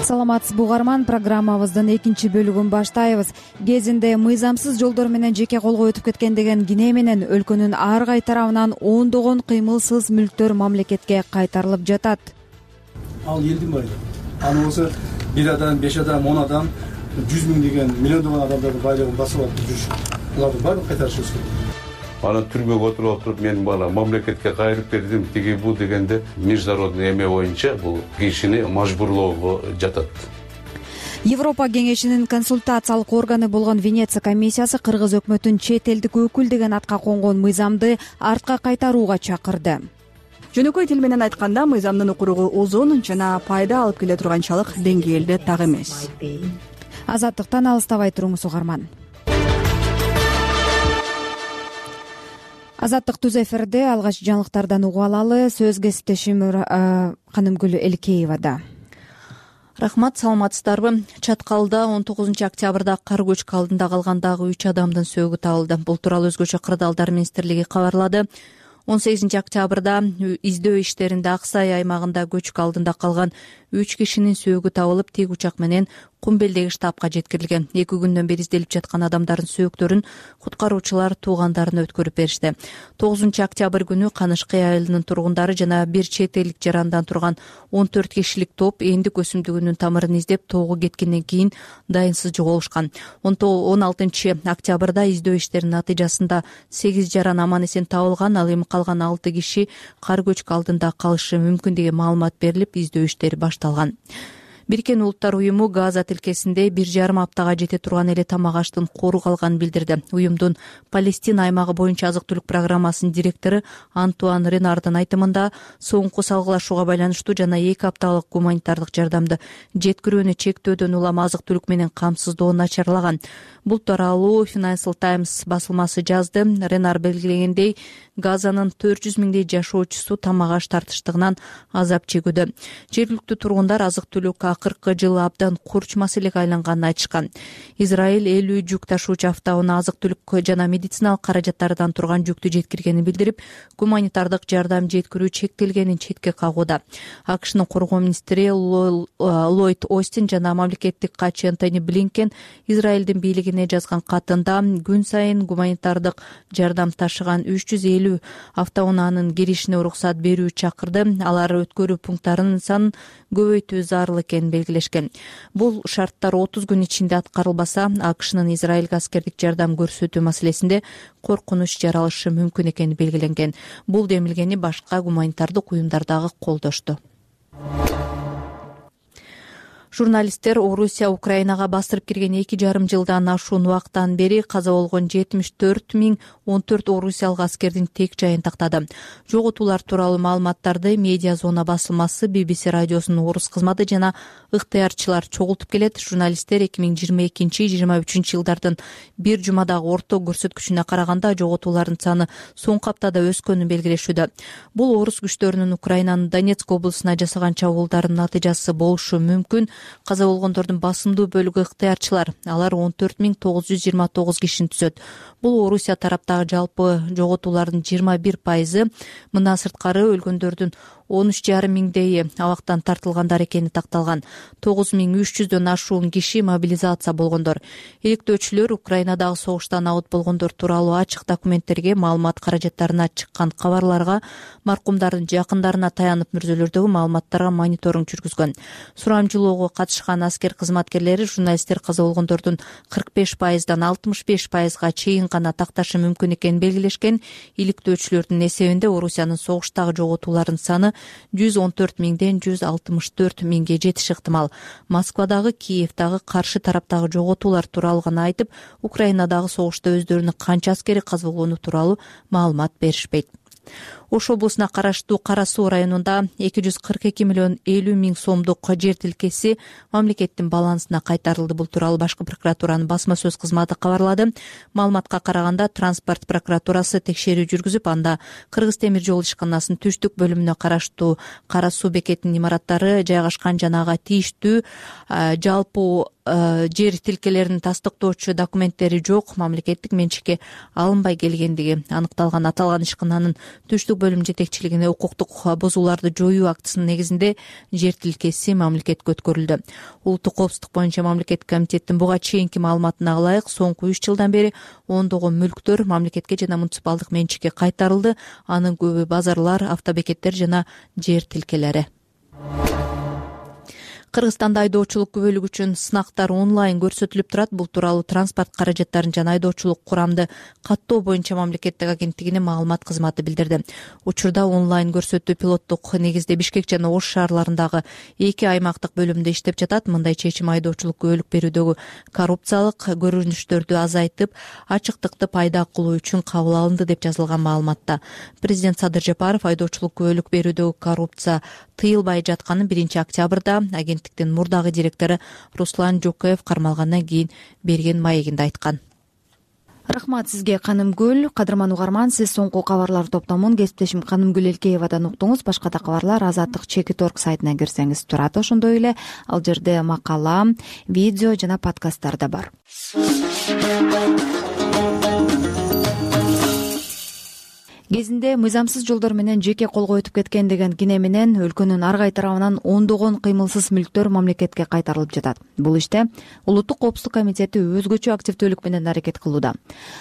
Саламатсызбы угарман, программабыздын экинчи бөлүгүн баштайбыз. Кезинде мыйзамсыз жолдор менен жеке колго өтүп кеткен деген кине менен өлкөнүн ар кай тарабынан ондогон кыймылсыз мүлктөр мамлекетке кайтарылып жатат. Ал элдин байлыгы. Аны болсо 1 адам, 5 адам, 10 адам, 100 миң деген миллиондогон адамдардын байлыгын басып алып жүрүш. Буларды баарын кайтарышыбыз керек. Анан түрмөгө отуруп менин бала мамлекетке кайрып бердим, тиги бу дегенде международный эме боюнча бул кишини мажбурлоого жатат. Европа кеңешинин консультациялык органы болгон Венеция комиссиясы кыргыз өкмөтүн чет элдик өкүл деген атка конгон мыйзамды артка кайтарууга чакырды. Жөнөкөй тил менен айтканда, мыйзамдын укуругу узун жана пайда алып келе турганчалык деңгээлде так эмес. Азаттыктан алыстабай туруңуз угарман. Азаттык түз эфирде, алгач жаңылыктардан угуп алалы. Сөз кесиптешим Канымгүл Элкеевада. Рахмат, саламатсыздарбы? Чаткалда 19 октябрда кар көчкү алдында калгандагы 3 адамдын сөөгү табылды. Бул тууралуу өзгөчө кырдаалдар министрлиги кабарлады. 18 октябрда издөө иштеринде Ак Сай аймагында көчкү алдында калган 3 кишинин сөөгү табылып, тик учак менен Кумбелдеги штабка жеткирилген. 2 күндөн бери изделип жаткан адамдардын сөөктөрүн куткаруучулар туугандарына өткөрүп беришти. 9 октябрь күнү Канышкы айылынын тургундары жана бир чет элдик жарандан турган 14 кишилик топ эндик өсүмдүгүнүн тамырын издеп тоого кеткенден кийин дайынсыз жоголушкан. 16 октябрда издөө иштеринин натыйжасында 8 жаран аман эсен табылган, ал эми калган 6 киши кар көчкү алдында калышы мүмкүн деген маалымат берилип, издөө иштери башталган. Бириккен Улуттар уюму Газа тилкесинде 1,5 аптага жете турган эле тамак аштын кору калганын билдирди. Уюмдун Палестина аймагы боюнча азык-түлүк программасынын директору Антуан Ренардын айтымында, соңку салгылашууга байланыштуу жана 2 апталык гуманитардык жардамды жеткирүүнү чектөөдөн улам азык-түлүк менен камсыздоо начарлаган. Бул тууралуу Financial Times басылмасы жазды. Ренар белгилегендей, Газанын 400 миңдей жашоочусу тамак аш тартыштыгынан азап чегүүдө. Жергиликтүү тургундар азык-түлүк акыркы жылы абдан курч маселеге айланганын айтышкан. Израиль 50 жүк ташуучу автоунаа азык-түлүк жана медициналык каражаттардан турган жүктү жеткиргенин билдирип, гуманитардык жардам жеткирүү чектелгенин четке кагууда. АКШнын коргоо министри Ллойд Остин жана мамлекеттик катчы Энтони Блинкен Израилдин бийлигине жазган катында күн сайын гуманитардык жардам ташыган 350 автоунаанын киришине уруксат берүү чакырды. Алар өткөрүү пункттарынын санын көбөйтүү зарыл экенин белгилешкен. Бул шарттар 30 күн ичинде аткарылбаса, АКШнын Израилге аскердик жардам көрсөтүү маселесинде коркунуч жаралышы мүмкүн экени белгиленген. Бул демилгени башка гуманитардык уюмдар дагы колдошту. Журналисттер Орусия Украинага бастырып кирген 2,5 жылдан ашуун убакыттан бери каза болгон 74,014 орусиялык аскердин тек жайын тактады. Жоготуулар тууралуу маалыматтарды Медиа Зона басылмасы, BBC радиосунун орус кызматы жана ыктыярчылар чогултуп келет. Журналисттер 2022-2023 жылдардын бир жумадагы орто көрсөткүчүнө караганда жоготуулардын саны соңку аптада өскөнүн белгилешүүдө. Бул орус күчтөрүнүн Украинанын Донецк облусуна жасаган чабуулдарынын натыйжасы болушу мүмкүн. Каза болгондордун басымдуу бөлүгү ыктыярчылар. Алар 14,929 кишини түзөт. Бул Орусия тараптагы жалпы жоготуулардын 21%. Мындан сырткары өлгөндөрдүн 13,5 миңдейи абактан тартылгандар экени такталган. 9300дөн ашуун киши мобилизация болгондор. Иликтөөчүлөр Украинадагы согуштан абыт болгондор тууралуу ачык документтерге, маалымат каражаттарына чыккан кабарларга, маркумдардын жакындарына таянып мүрзөлөрдөгү маалыматтарга мониторинг жүргүзгөн. Сурамжылоого катышкан аскер кызматкерлери журналисттер каза болгондордун 45%дан 65%га чейин гана такташы мүмкүн экенин белгилешкен. Иликтөөчүлөрдүн эсебинде Орусиянын согуштагы жоготуулардын саны 114 миңден 164 миңге жетиши ыктымал. Москвадагы, Киевдагы, каршы тараптагы жоготуулар тууралуу гана айтып, Украинадагы согушта өздөрүнүн канча аскери каза болгону тууралуу маалымат беришпейт. Ош облусуна караштуу Кара Суу районунда 242 миллион 50 миң сомдук жер тилкеси мамлекеттин балансына кайтарылды. Бул тууралуу Башкы прокуратуранын басма сөз кызматы кабарлады. Маалыматка караганда транспорт прокуратурасы текшерүү жүргүзүп, анда Кыргыз темир жол ишканасынын түштүк бөлүмүнө караштуу Кара Суу бекетинин имараттары жайгашкан жана ага тийиштүү жалпы жер тилкелерин тастыктоочу документтери жок, мамлекеттик менчикке алынбай келгендиги аныкталган. Аталган ишкананын түштүк бөлүм жетекчилигине укуктук бузууларды жоюу актысынын негизинде жер тилкеси мамлекетке өткөрүлдү. Улуттук коопсуздук боюнча мамлекеттик комитеттин буга чейинки маалыматына ылайык соңку 3 жылдан бери ондогон мүлктөр мамлекетке жана муниципалдык менчикке кайтарылды. Анын көбү базарлар, автобекеттер жана жер тилкелери. Кыргызстанда айдоочулук күбөлүк үчүн сынактар онлайн көрсөтүлүп турат. Бул тууралуу транспорт каражаттарын жана айдоочулук курамды каттоо боюнча мамлекеттик агенттигинин маалымат кызматы билдирди. Учурда онлайн көрсөтүү пилоттук негизде Бишкек жана Ош шаарларындагы 2 аймактык бөлүмдө иштеп жатат. Мындай чечим айдоочулук күбөлүк берүүдөгү коррупциялык көрүнүштөрдү азайтып, ачыктыкты пайда кылуу үчүн кабыл алынды деп жазылган маалыматта. Президент Садыр Жапаров айдоочулук күбөлүк берүүдөгү коррупция тыйылбай жатканын 1 октябрда агенттиктин мурдагы директору Руслан Жокоев кармалгандан кийин берген маегинде айткан. Рахмат сизге, Канымгүл. Кадырман угарман, сиз соңку кабарлар топтомун кесиптешим Канымгүл Элкеевадан уктуңуз. Башка да кабарлар Азаттык Чекит.org сайтына кирсеңиз турат. Ошондой эле ал жерде макала, видео жана подкасттар да бар. Кезинде мыйзамсыз жолдор менен жеке колго өтүп кеткен деген кине менен өлкөнүн ар кай тарабынан ондогон кыймылсыз мүлктөр мамлекетке кайтарылып жатат. Бул иште Улуттук коопсуздук комитети өзгөчө активдүүлүк менен аракет кылууда.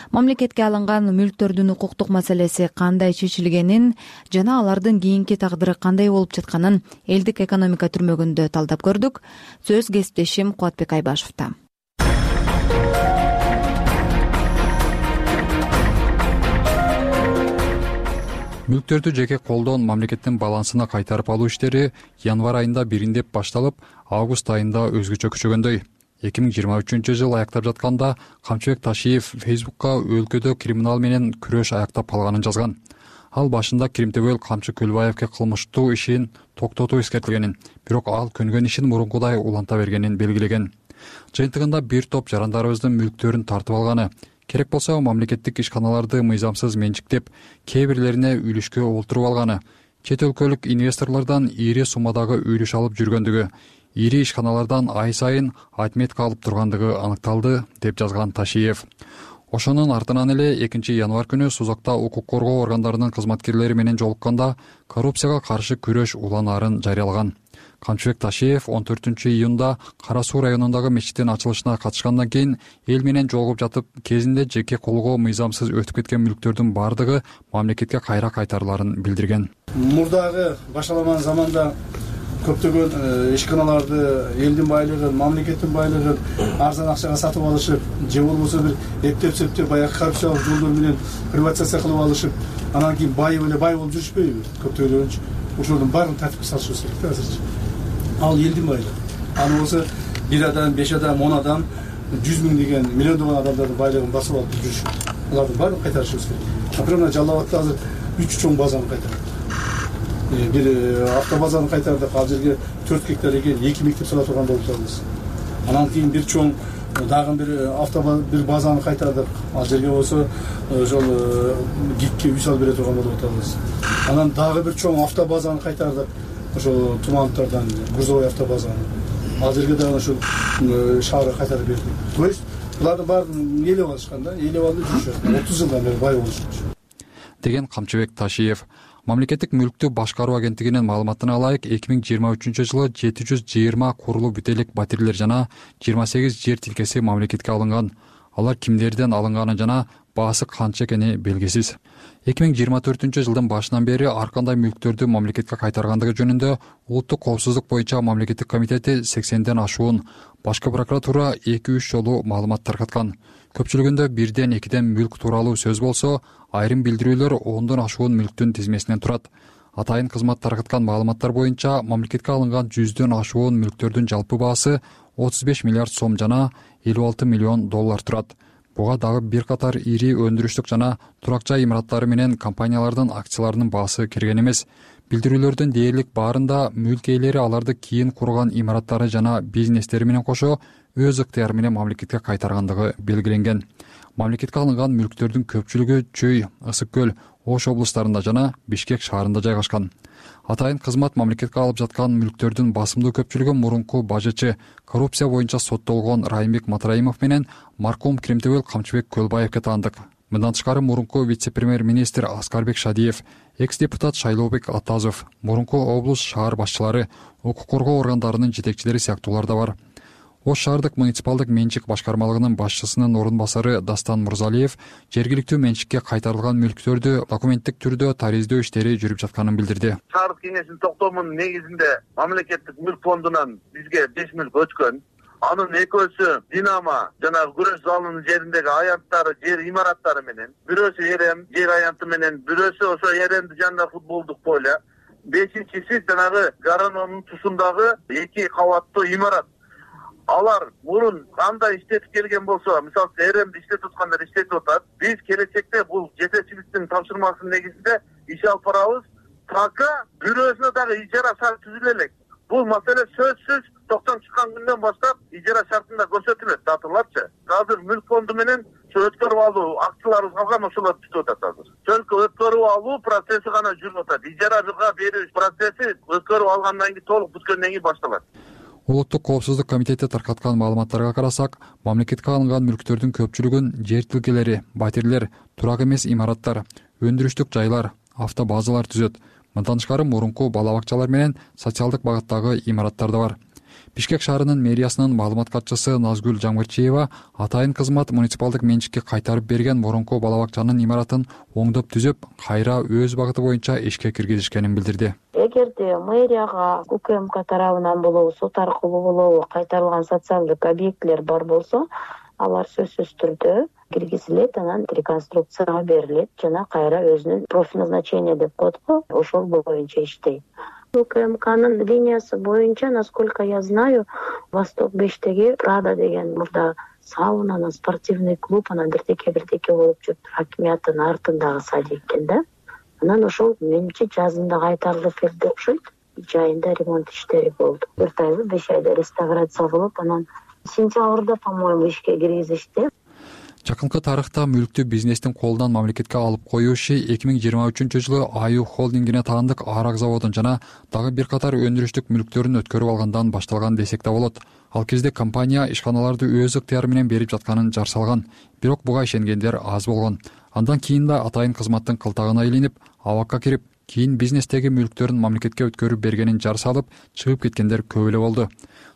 Мамлекетке алынган мүлктөрдүн укуктук маселеси кандай чечилгенин жана алардын кийинки тагдыры кандай болуп жатканын элдик экономика түрмөгүндө талдап көрдүк. Сөз кесиптешим Кубатбек Айбашевда. Мүлктөрдү жеке колдон мамлекеттин балансына кайтарып алуу иштери январь айында бириндеп башталып, август айында өзгөчө күчөгөндөй. 2023 аяктап жатканда Камчыбек Ташиев Фейсбукка өлкөдө криминал менен күрөш аяктап калганын жазган. Ал башында Кримтөбөл Камчы Көлбаевке кылмыштуу ишин токтотуу эскертилгенин, бирок ал көнгөн ишин мурункудай уланта бергенин белгилеген. Жыйынтыгында бир топ жарандарыбыздын мүлктөрүн тартып алганы, керек болсо мамлекеттик ишканаларды мыйзамсыз менчиктеп, кээ бирлерине үлүшкө олтуруп алганы, чет өлкөлүк инвесторлордон ири суммадагы үлүш алып жүргөндүгү, ири ишканалардан ай сайын отметка алып тургандыгы аныкталды, деп жазган Ташиев. Ошонун артынан эле 2 январь күнү Сузакта укук коргоо органдарынын кызматкерлери менен жолукканда коррупцияга каршы күрөш уланаарын жарыялаган. Камчыбек Ташиев 14 июнда Кара Суу районундагы мечиттин ачылышына катышкандан кийин эл менен жолугуп жатып, кезинде жеке колго мыйзамсыз өтүп кеткен мүлктөрдүн бардыгы мамлекетке кайра кайтарыларын билдирген. Мурдагы башаламан заманда көптөгөн ишканаларды элдин байлыгын, мамлекеттин байлыгын арзан акчага сатып алышып, же болбосо бир эптеп-септеп баягы коррупциялык жолдор менен приватизация кылып алышып, анан кийин байып эле бай болуп жүрүшпөйбү? Көптөгөн ошолордун баарын тартипке салышыбыз керек да азырчы. Ал элдин байлыгы. Аны болсо 1 адам, 5 адам, 10 адам, 100 миң деген миллиондогон адамдардын байлыгын басып алып жүрүшүп, алардын баарын кайтарышыбыз керек. Например, Жалал Абадта азыр 3 чоң базаны кайтардык. Бир автобазаны кайтардык, ал жерге 4 гектар экен 2 мектеп сала турган болуп атабыз. Анан кийин бир чоң дагы бир базаны кайтардык, ал жерге болсо ошол гикке үй салып бере турган болуп атабыз. Анан дагы бир чоң автобазаны кайтардык, ошол Тумановтардан Грузовой автобазаны. Ал жерге дагы ошол шаары кайтарып бердик. То есть булардын баарын ээлеп алышкан да, ээлеп алып жүрүшөт. 30 жылдан бери бай болушат деген Камчыбек Ташиев. Мамлекеттик мүлктү башкаруу агенттигинин маалыматына ылайык 2023 жылы 720 курулуу бүт элек батирлер жана 28 жер тилкеси мамлекетке алынган. Алар кимдерден алынганы жана баасы канча экени белгисиз. 2024 жылдын башынан бери ар кандай мүлктөрдү мамлекетке кайтаргандыгы жөнүндө Улуттук коопсуздук боюнча мамлекеттик комитети 80ден ашуун, Башкы прокуратура 2-3 жолу маалымат таркаткан. Көпчүлүгүндө 1-2 мүлк тууралуу сөз болсо, айрым билдирүүлөр 10дон ашуун мүлктүн тизмесинен турат. Атайын кызмат таркаткан маалыматтар боюнча мамлекетке алынган 100дөн ашуун мүлктөрдүн жалпы баасы 35 миллиард сом жана 56 миллион доллар турат. Буга дагы бир катар ири өндүрүштүк жана турак жай имараттары менен компаниялардын акцияларынын баасы кирген эмес. Билдирүүлөрдүн дээрлик баарында мүлк ээлери аларды кийин курган имараттары жана бизнестери менен кошо өз ыктыяры менен мамлекетке кайтаргандыгы белгиленген. Мамлекетке алынган мүлктөрдүн көпчүлүгү Чүй, Ысык көл, Ош облустарында жана Бишкек шаарында жайгашкан. Атайын кызмат мамлекетке алып жаткан мүлктөрдүн басымдуу көпчүлүгү мурунку бажычы, коррупция боюнча соттолгон Райымбек Матраимов менен маркум Кремтебел Камчыбек Көлбаевге таандык. Мындан тышкары мурунку вице-премьер-министр Аскарбек Шадиев, экс-депутат Шайлообек Атазов, мурунку облус шаар башчылары, укук коргоо органдарынын жетекчилери сыяктуулар да бар. Ош шаардык муниципалдык менчик башкармалыгынын башчысынын орун басары Дастан Мурзалиев жергиликтүү менчикке кайтарылган мүлктөрдү документтик түрдө тариздөө иштери жүрүп жатканын билдирди. Шаардык кеңештин токтомунун негизинде мамлекеттик мүлк фондунан бизге 5 мүлк өткөн. Анын экөөсү Динамо жана күрөш залынын жериндеги аянттары, жер имараттары менен, бирөөсү Эрем жер аянты менен, бирөөсү ошо Эремдин жанында футболдук поле, бешинчиси жанагы Гаранонун тушундагы 2 кабаттуу имарат. Алар мурун кандай иштетип келген болсо, мисалы Эремди иштетип аткандар иштетип атат. Биз келечекте бул жетекчиликтин тапшырмасынын негизинде иш алып барабыз. Така бирөөсүнө дагы ижара шарт түзүлө элек. Бул маселе сөзсүз токтом чыккан күндөн баштап ижара шартында көрсөтүлөт, татылапчы. Азыр мүлк фонду менен өткөрүп алуу акцияларыбыз калган, ошолор бүтүп атат азыр. Только өткөрүп алуу процесси гана жүрүп атат. Ижарага берүү процесси өткөрүп алгандан кийин, толук бүткөндөн кийин башталат. Улуттук коопсуздук комитети таркаткан маалыматтарга карасак, мамлекетке алынган мүлктөрдүн көпчүлүгүн жер тилкелери, батирлер, турак эмес имараттар, өндүрүштүк жайлар, автобазалар түзөт. Мындан тышкары мурунку бала бакчалар менен социалдык багыттагы имараттар да бар. Бишкек шаарынын мэриясынын маалымат катчысы Назгүл Жаңгырчиева атайын кызмат муниципалдык менчикке кайтарып берген мурунку бала бакчанын имаратын оңдоп түзөп, кайра өз багыты боюнча ишке киргизишкенин билдирди. Эгерде мэрияга УКМК тарабынан болобу, сот аркылуу болобу кайтарылган социалдык объектилер бар болсо, алар сөзсүз түрдө киргизилет, анан реконструкцияга берилет жана кайра өзүнүн профиль назначение деп коет го, ошол боюнча иштейт. УКМКнын линиясы боюнча, насколько я знаю, Восток 5-теги Прада деген мурда сауна, анан спортивный клуб, анан бирдеке болуп жүрүп, хакимияттын артындагы садик экен да. Анан ошол менимче жазында кайтарылып келди окшойт. Жайында ремонт иштери болду. 4 айлы 5 айда реставрация болуп, анан сентябрда, по-моему, ишке киргизишти. Жакынкы тарыхта мүлктү бизнестин колунан мамлекетке алып коюу иши 2023-жылы Аю холдингине таандык арак заводун жана дагы бир катар өндүрүштүк мүлктөрүн өткөрүп алгандан башталган десек да болот. Ал кезде компания ишканаларды өз ыктыяры менен берип жатканын жар салган, бирок буга ишенгендер аз болгон. Андан кийин да атайын кызматтын кылтагына илинип, абакка кирип, кийин бизнестеги мүлктөрүн мамлекетке өткөрүп бергенин жар салып, чыгып кеткендер көп эле болду.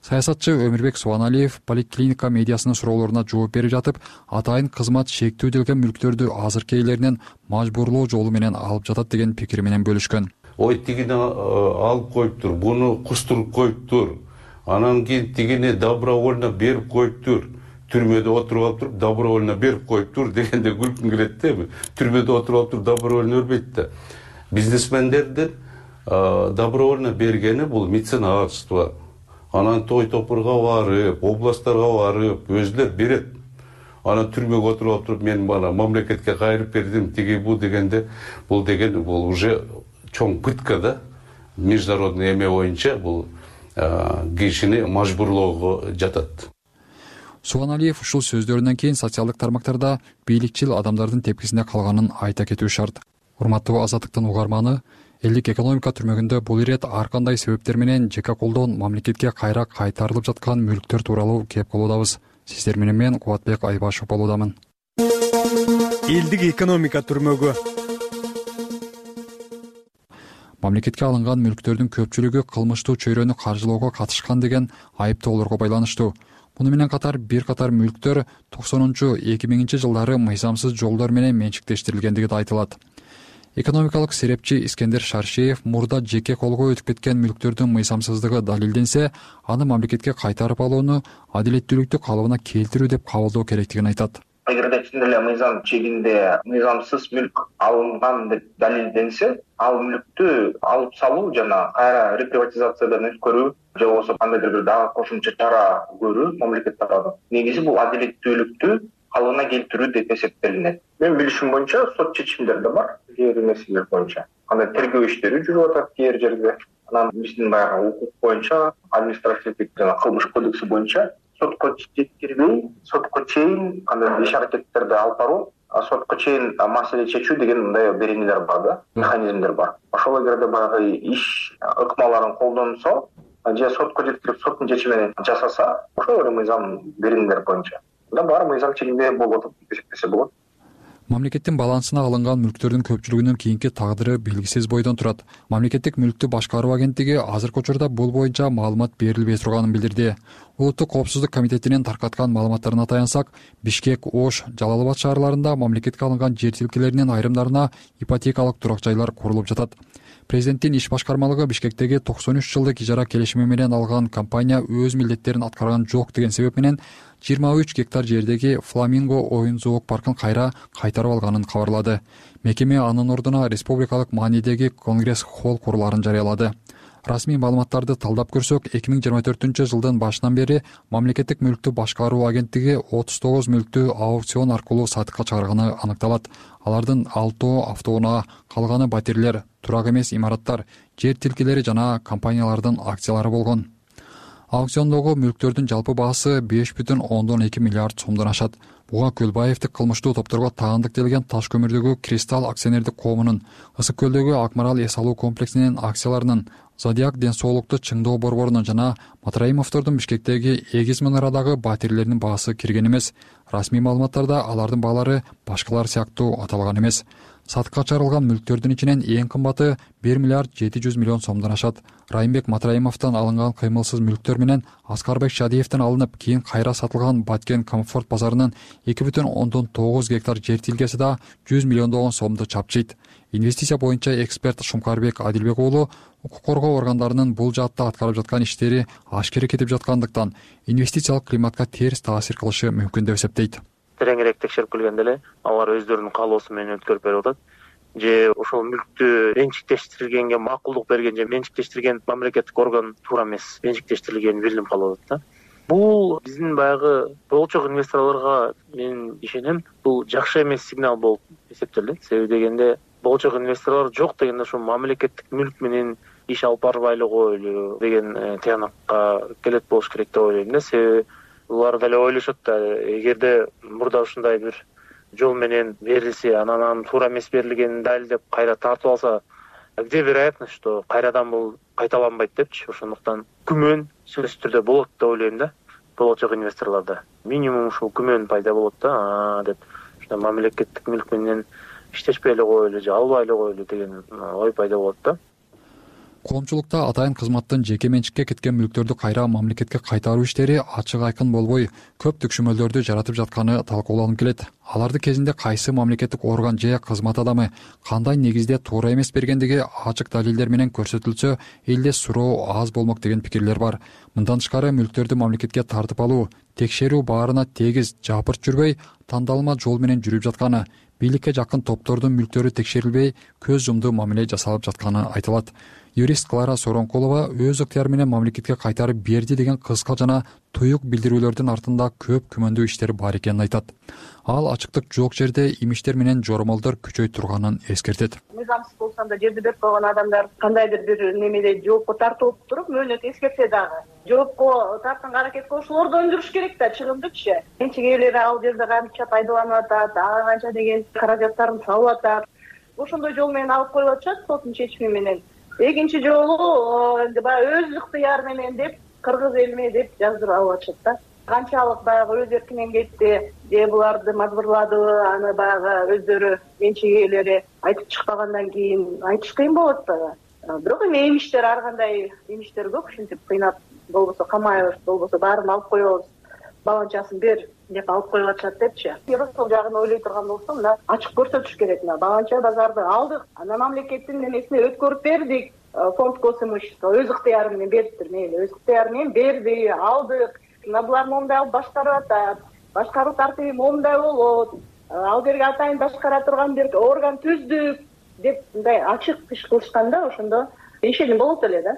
Саясатчы Өмүрбек Субаналиев поликлиника медиасынын суроолоруна жооп берип жатып, атайын кызмат шектүүдөлгөн мүлктөрдү азыркы ээлеринен мажбурлоо жолу менен алып жатат деген пикири менен бөлүшкөн. Ой, тигини алып коюптур, буну кустуруп коюптур. Анан кийин тигини добровольно берип коюптур. Түрмөдө отуруп алып туруп, добровольно берип коюптур дегенде күлкүм келет да. Түрмөдө отуруп алып туруп, добровольно бербейт да. Бизнесмендердин добровольно бергени бул меценатство. Анан той топурга барып, областтарга барып, өзүлөр берет. Анан түрмөгө отуруп алып туруп, мен бана мамлекетке кайрып бердим, тиги бу дегенде, бул деген бул уже чоң пытка да. Международный эме боюнча бул кишини мажбурлоого жатат. Субаналиев ушул сөздөрүнөн кийин социалдык тармактарда бийликчил адамдардын тепкисинде калганын айта кетүү шарт. Урматтуу Азаттыктын угарманы, элдик экономика түрмөгүндө бул ирет ар кандай себептер менен жеке колдон мамлекетке кайра кайтарылып жаткан мүлктөр тууралуу кеп калуудабыз. Сиздер менен мен Кубатбек Айбашев болуудамын. Элдик экономика түрмөгү. Мамлекетке алынган мүлктөрдүн көпчүлүгү кылмыштуу чөйрөнү каржылоого катышкан деген айыптоолорго байланыштуу. Муну менен катар бир катар мүлктөр 90-2000 жылдары мыйзамсыз жолдор менен менчиктештирилгендиги да айтылат. Экономикалык серепчи Искендер Шаршеев мурда жеке колго өтүп кеткен мүлктөрдүн мыйзамсыздыгы далилденсе, аны мамлекетке кайтарып алууну адилеттүүлүктү калыбына келтирүү деп кабылдоо керектигин айтат. Эгерде чын эле мыйзам чегинде мыйзамсыз мүлк алынган деп далилденсе, ал мүлктү алып салуу жана кайра реприватизациядан өткөрүү же болбосо кандайдыр бир дагы кошумча чара көрүү мамлекет тарабынан негизи бул адилеттүүлүктү калыбына келтирүү деп эсептелинет. Менин билишим боюнча сот чечимдери да бар кээ бир нерселер боюнча. Андай тергөө иштери жүрүп атат кээ бир жерде. Анан биздин баягы укук боюнча, административдик жана кылмыш кодекси боюнча сотко жеткирбей, сотко чейин андай иш аракеттерди алып баруу, сотко чейин маселе чечүү деген мындай беренелер бар да, механизмдер бар. Ошол эгерде баягы иш ыкмаларын колдонсо же сотко жеткирип соттун чечими менен жасаса, ошол мыйзам беренелер боюнча да бар мыйзам чегинде болуп атат деп эсептесе болот. Мамлекеттин балансына алынган мүлктөрдүн көпчүлүгүнүн кийинки тагдыры белгисиз бойдон турат. Мамлекеттик мүлктү башкаруу агенттиги азыркы учурда бул боюнча маалымат берилбей турганын билдирди. Улуттук коопсуздук комитетинин таркаткан маалыматтарына таянсак, Бишкек, Ош, Жалал Абад шаарларында мамлекетке алынган жер тилкелеринин айрымдарына ипотекалык турак жайлар курулуп жатат. Президенттин иш башкармалыгы Бишкектеги 93 жылдык ижара келишими менен алган компания өз милдеттерин аткарган жок деген себеп менен 23 гектар жердеги Фламинго оюн зоок паркын кайтарып алганын кабарлады. Мекеме анын ордуна республикалык маанидеги Конгресс холл курулаарын жарыялады. Расмий маалыматтарды талдап көрсөк, 2024 жылдын башынан бери мамлекеттик мүлктү башкаруу агенттиги 39 мүлктү аукцион аркылуу сатыкка чыгарганы аныкталат. Алардын 6 автоунаа, калганы батирлер, турак эмес имараттар, жер тилкелери жана компаниялардын акциялары болгон. Аукциондогу мүлктөрдүн жалпы баасы 5,2 миллиард сомдон ашат. Буга Көлбаевдик кылмыштуу топторго таандык делген таш көмүрдөгү Кристалл акционердик коомунун, Ысык көлдөгү Акмарал эс алуу комплексинин акцияларынын, Зодиак ден соолукту чыңдоо борборунун жана Матраимовдордун Бишкектеги Эгиз мунарадагы батирлердин баасы кирген эмес. Расмий маалыматтарда алардын баалары башкалар сыяктуу аталган эмес. Сатыкка чыгарылган мүлктөрдүн ичинен эң кымбаты 1 миллиард 700 миллион сомдон ашат. Райымбек Матраимовдон алынган кыймылсыз мүлктөр менен Аскарбек Шадиевден алынып, кийин кайра сатылган Баткен Комфорт базарынын 2,9 гектар жер тилкеси да 100 миллиондогон сомду чапчыйт. Инвестиция боюнча эксперт Шумкарбек Адилбек уулу укук коргоо органдарынын бул жаатта аткарып жаткан иштери ашкере кетип жаткандыктан инвестициялык климатка терс таасир кылышы мүмкүн деп эсептейт. Тереңирээк текшерип келгенде эле алар өздөрүнүн каалоосу менен өткөрүп берип атат. Же ошол мүлктү менчиктештиргенге макулдук берген же менчиктештирген мамлекеттик орган туура эмес менчиктештирилгени билинип калып атат да. Бул биздин баягы болочок инвесторлорго мен ишенем, бул жакшы эмес сигнал болуп эсептелет. Себеби дегенде болочок инвесторлор жок дегенде ошо мамлекеттик мүлк менен иш алып барбай эле коелу деген тыянакка келет болуш керек деп ойлойм да. Себеби булар деле ойлошот да, эгерде мурда ушундай бир жол менен берилсе, анан туура эмес берилгенин далилдеп кайра тартып алса, где вероятность, что кайрадан бул кайталанбайт депчи. Ошондуктан күмөн сөзсүз түрдө болот деп ойлойм да. Болочок инвесторлордо минимум ушул күмөн пайда болот да, деп ушундай мамлекеттик мүлк менен иштешпей эле коелу же албай эле коелу деген ой пайда болот да. Коомчулукта атайын кызматтын жеке менчикке кеткен мүлктөрдү кайра мамлекетке кайтаруу иштери ачык айкын болбой, көп түкшүмөлдөрдү жаратып жатканы талкууланып келет. Аларды кезинде кайсы мамлекеттик орган же кызмат адамы кандай негизде туура эмес бергендиги ачык далилдер менен көрсөтүлсө, элде суроо аз болмок деген пикирлер бар. Мындан тышкары мүлктөрдү мамлекетке тартып алуу, текшерүү баарына тегиз жапырт жүрбөй, тандалма жол менен жүрүп жатканы, бийликке жакын топтордун мүлктөрү текшерилбей, көз жумду мамиле жасалып жатканы айтылат. Юрист Клара Соронкулова өз ыктыяры менен мамлекетке кайтарып берди деген кыска жана туюк билдирүүлөрдүн артында көп күмөндүү иштер бар экенин айтат. Ал ачыктык жок жерде имиштер менен жоромолдор күчөй турганын эскертет. Мыйзамсыз болсом да жерди берип койгон адамдар кандайдыр бир немеде жоопко тартылып туруп мөөнөт эскертсе дагы жоопко тартканга аракет кылып ошолорду өндүрүш керек да, чыгымдычы. Менчик ээлери ал жерде канча пайдаланып атат, ага канча деген каражаттарын салып атат. Ошондой жол менен алып коюп атышат соттун чечими менен. Экинчи жолу баягы өз ыктыяры менен деп кыргыз элиме деп жаздырып алып атышат да. Канчалык баягы өз эркинен кетти, же буларды мажбурладыбы, аны баягы өздөрү менчик ээлери айтып чыкпагандан кийин айтыш кыйын болот да. Бирок эми эмиштер ар кандай эмиштер көп, ушинтип кыйнап болбосо камайбыз, болбосо баарын алып коебуз, баланчасын бер деп алып коюп атышат депчи. Ошол жагын ойлой турган болсо, мына ачык көрсөтүш керек. Баланча базарды алдык, анан мамлекеттин немесине өткөрүп бердик. Фонд госимущества өз ыктыяры менен бериптир, мейли өз ыктыяры менен берди, алдык. Мына булар момундай алып башкарып атат. Башкаруу тартиби момундай болот. Ал жерге атайын башкара турган бир орган түздүк деп мындай ачык иш кылышканда ошондо ишеним болот эле да.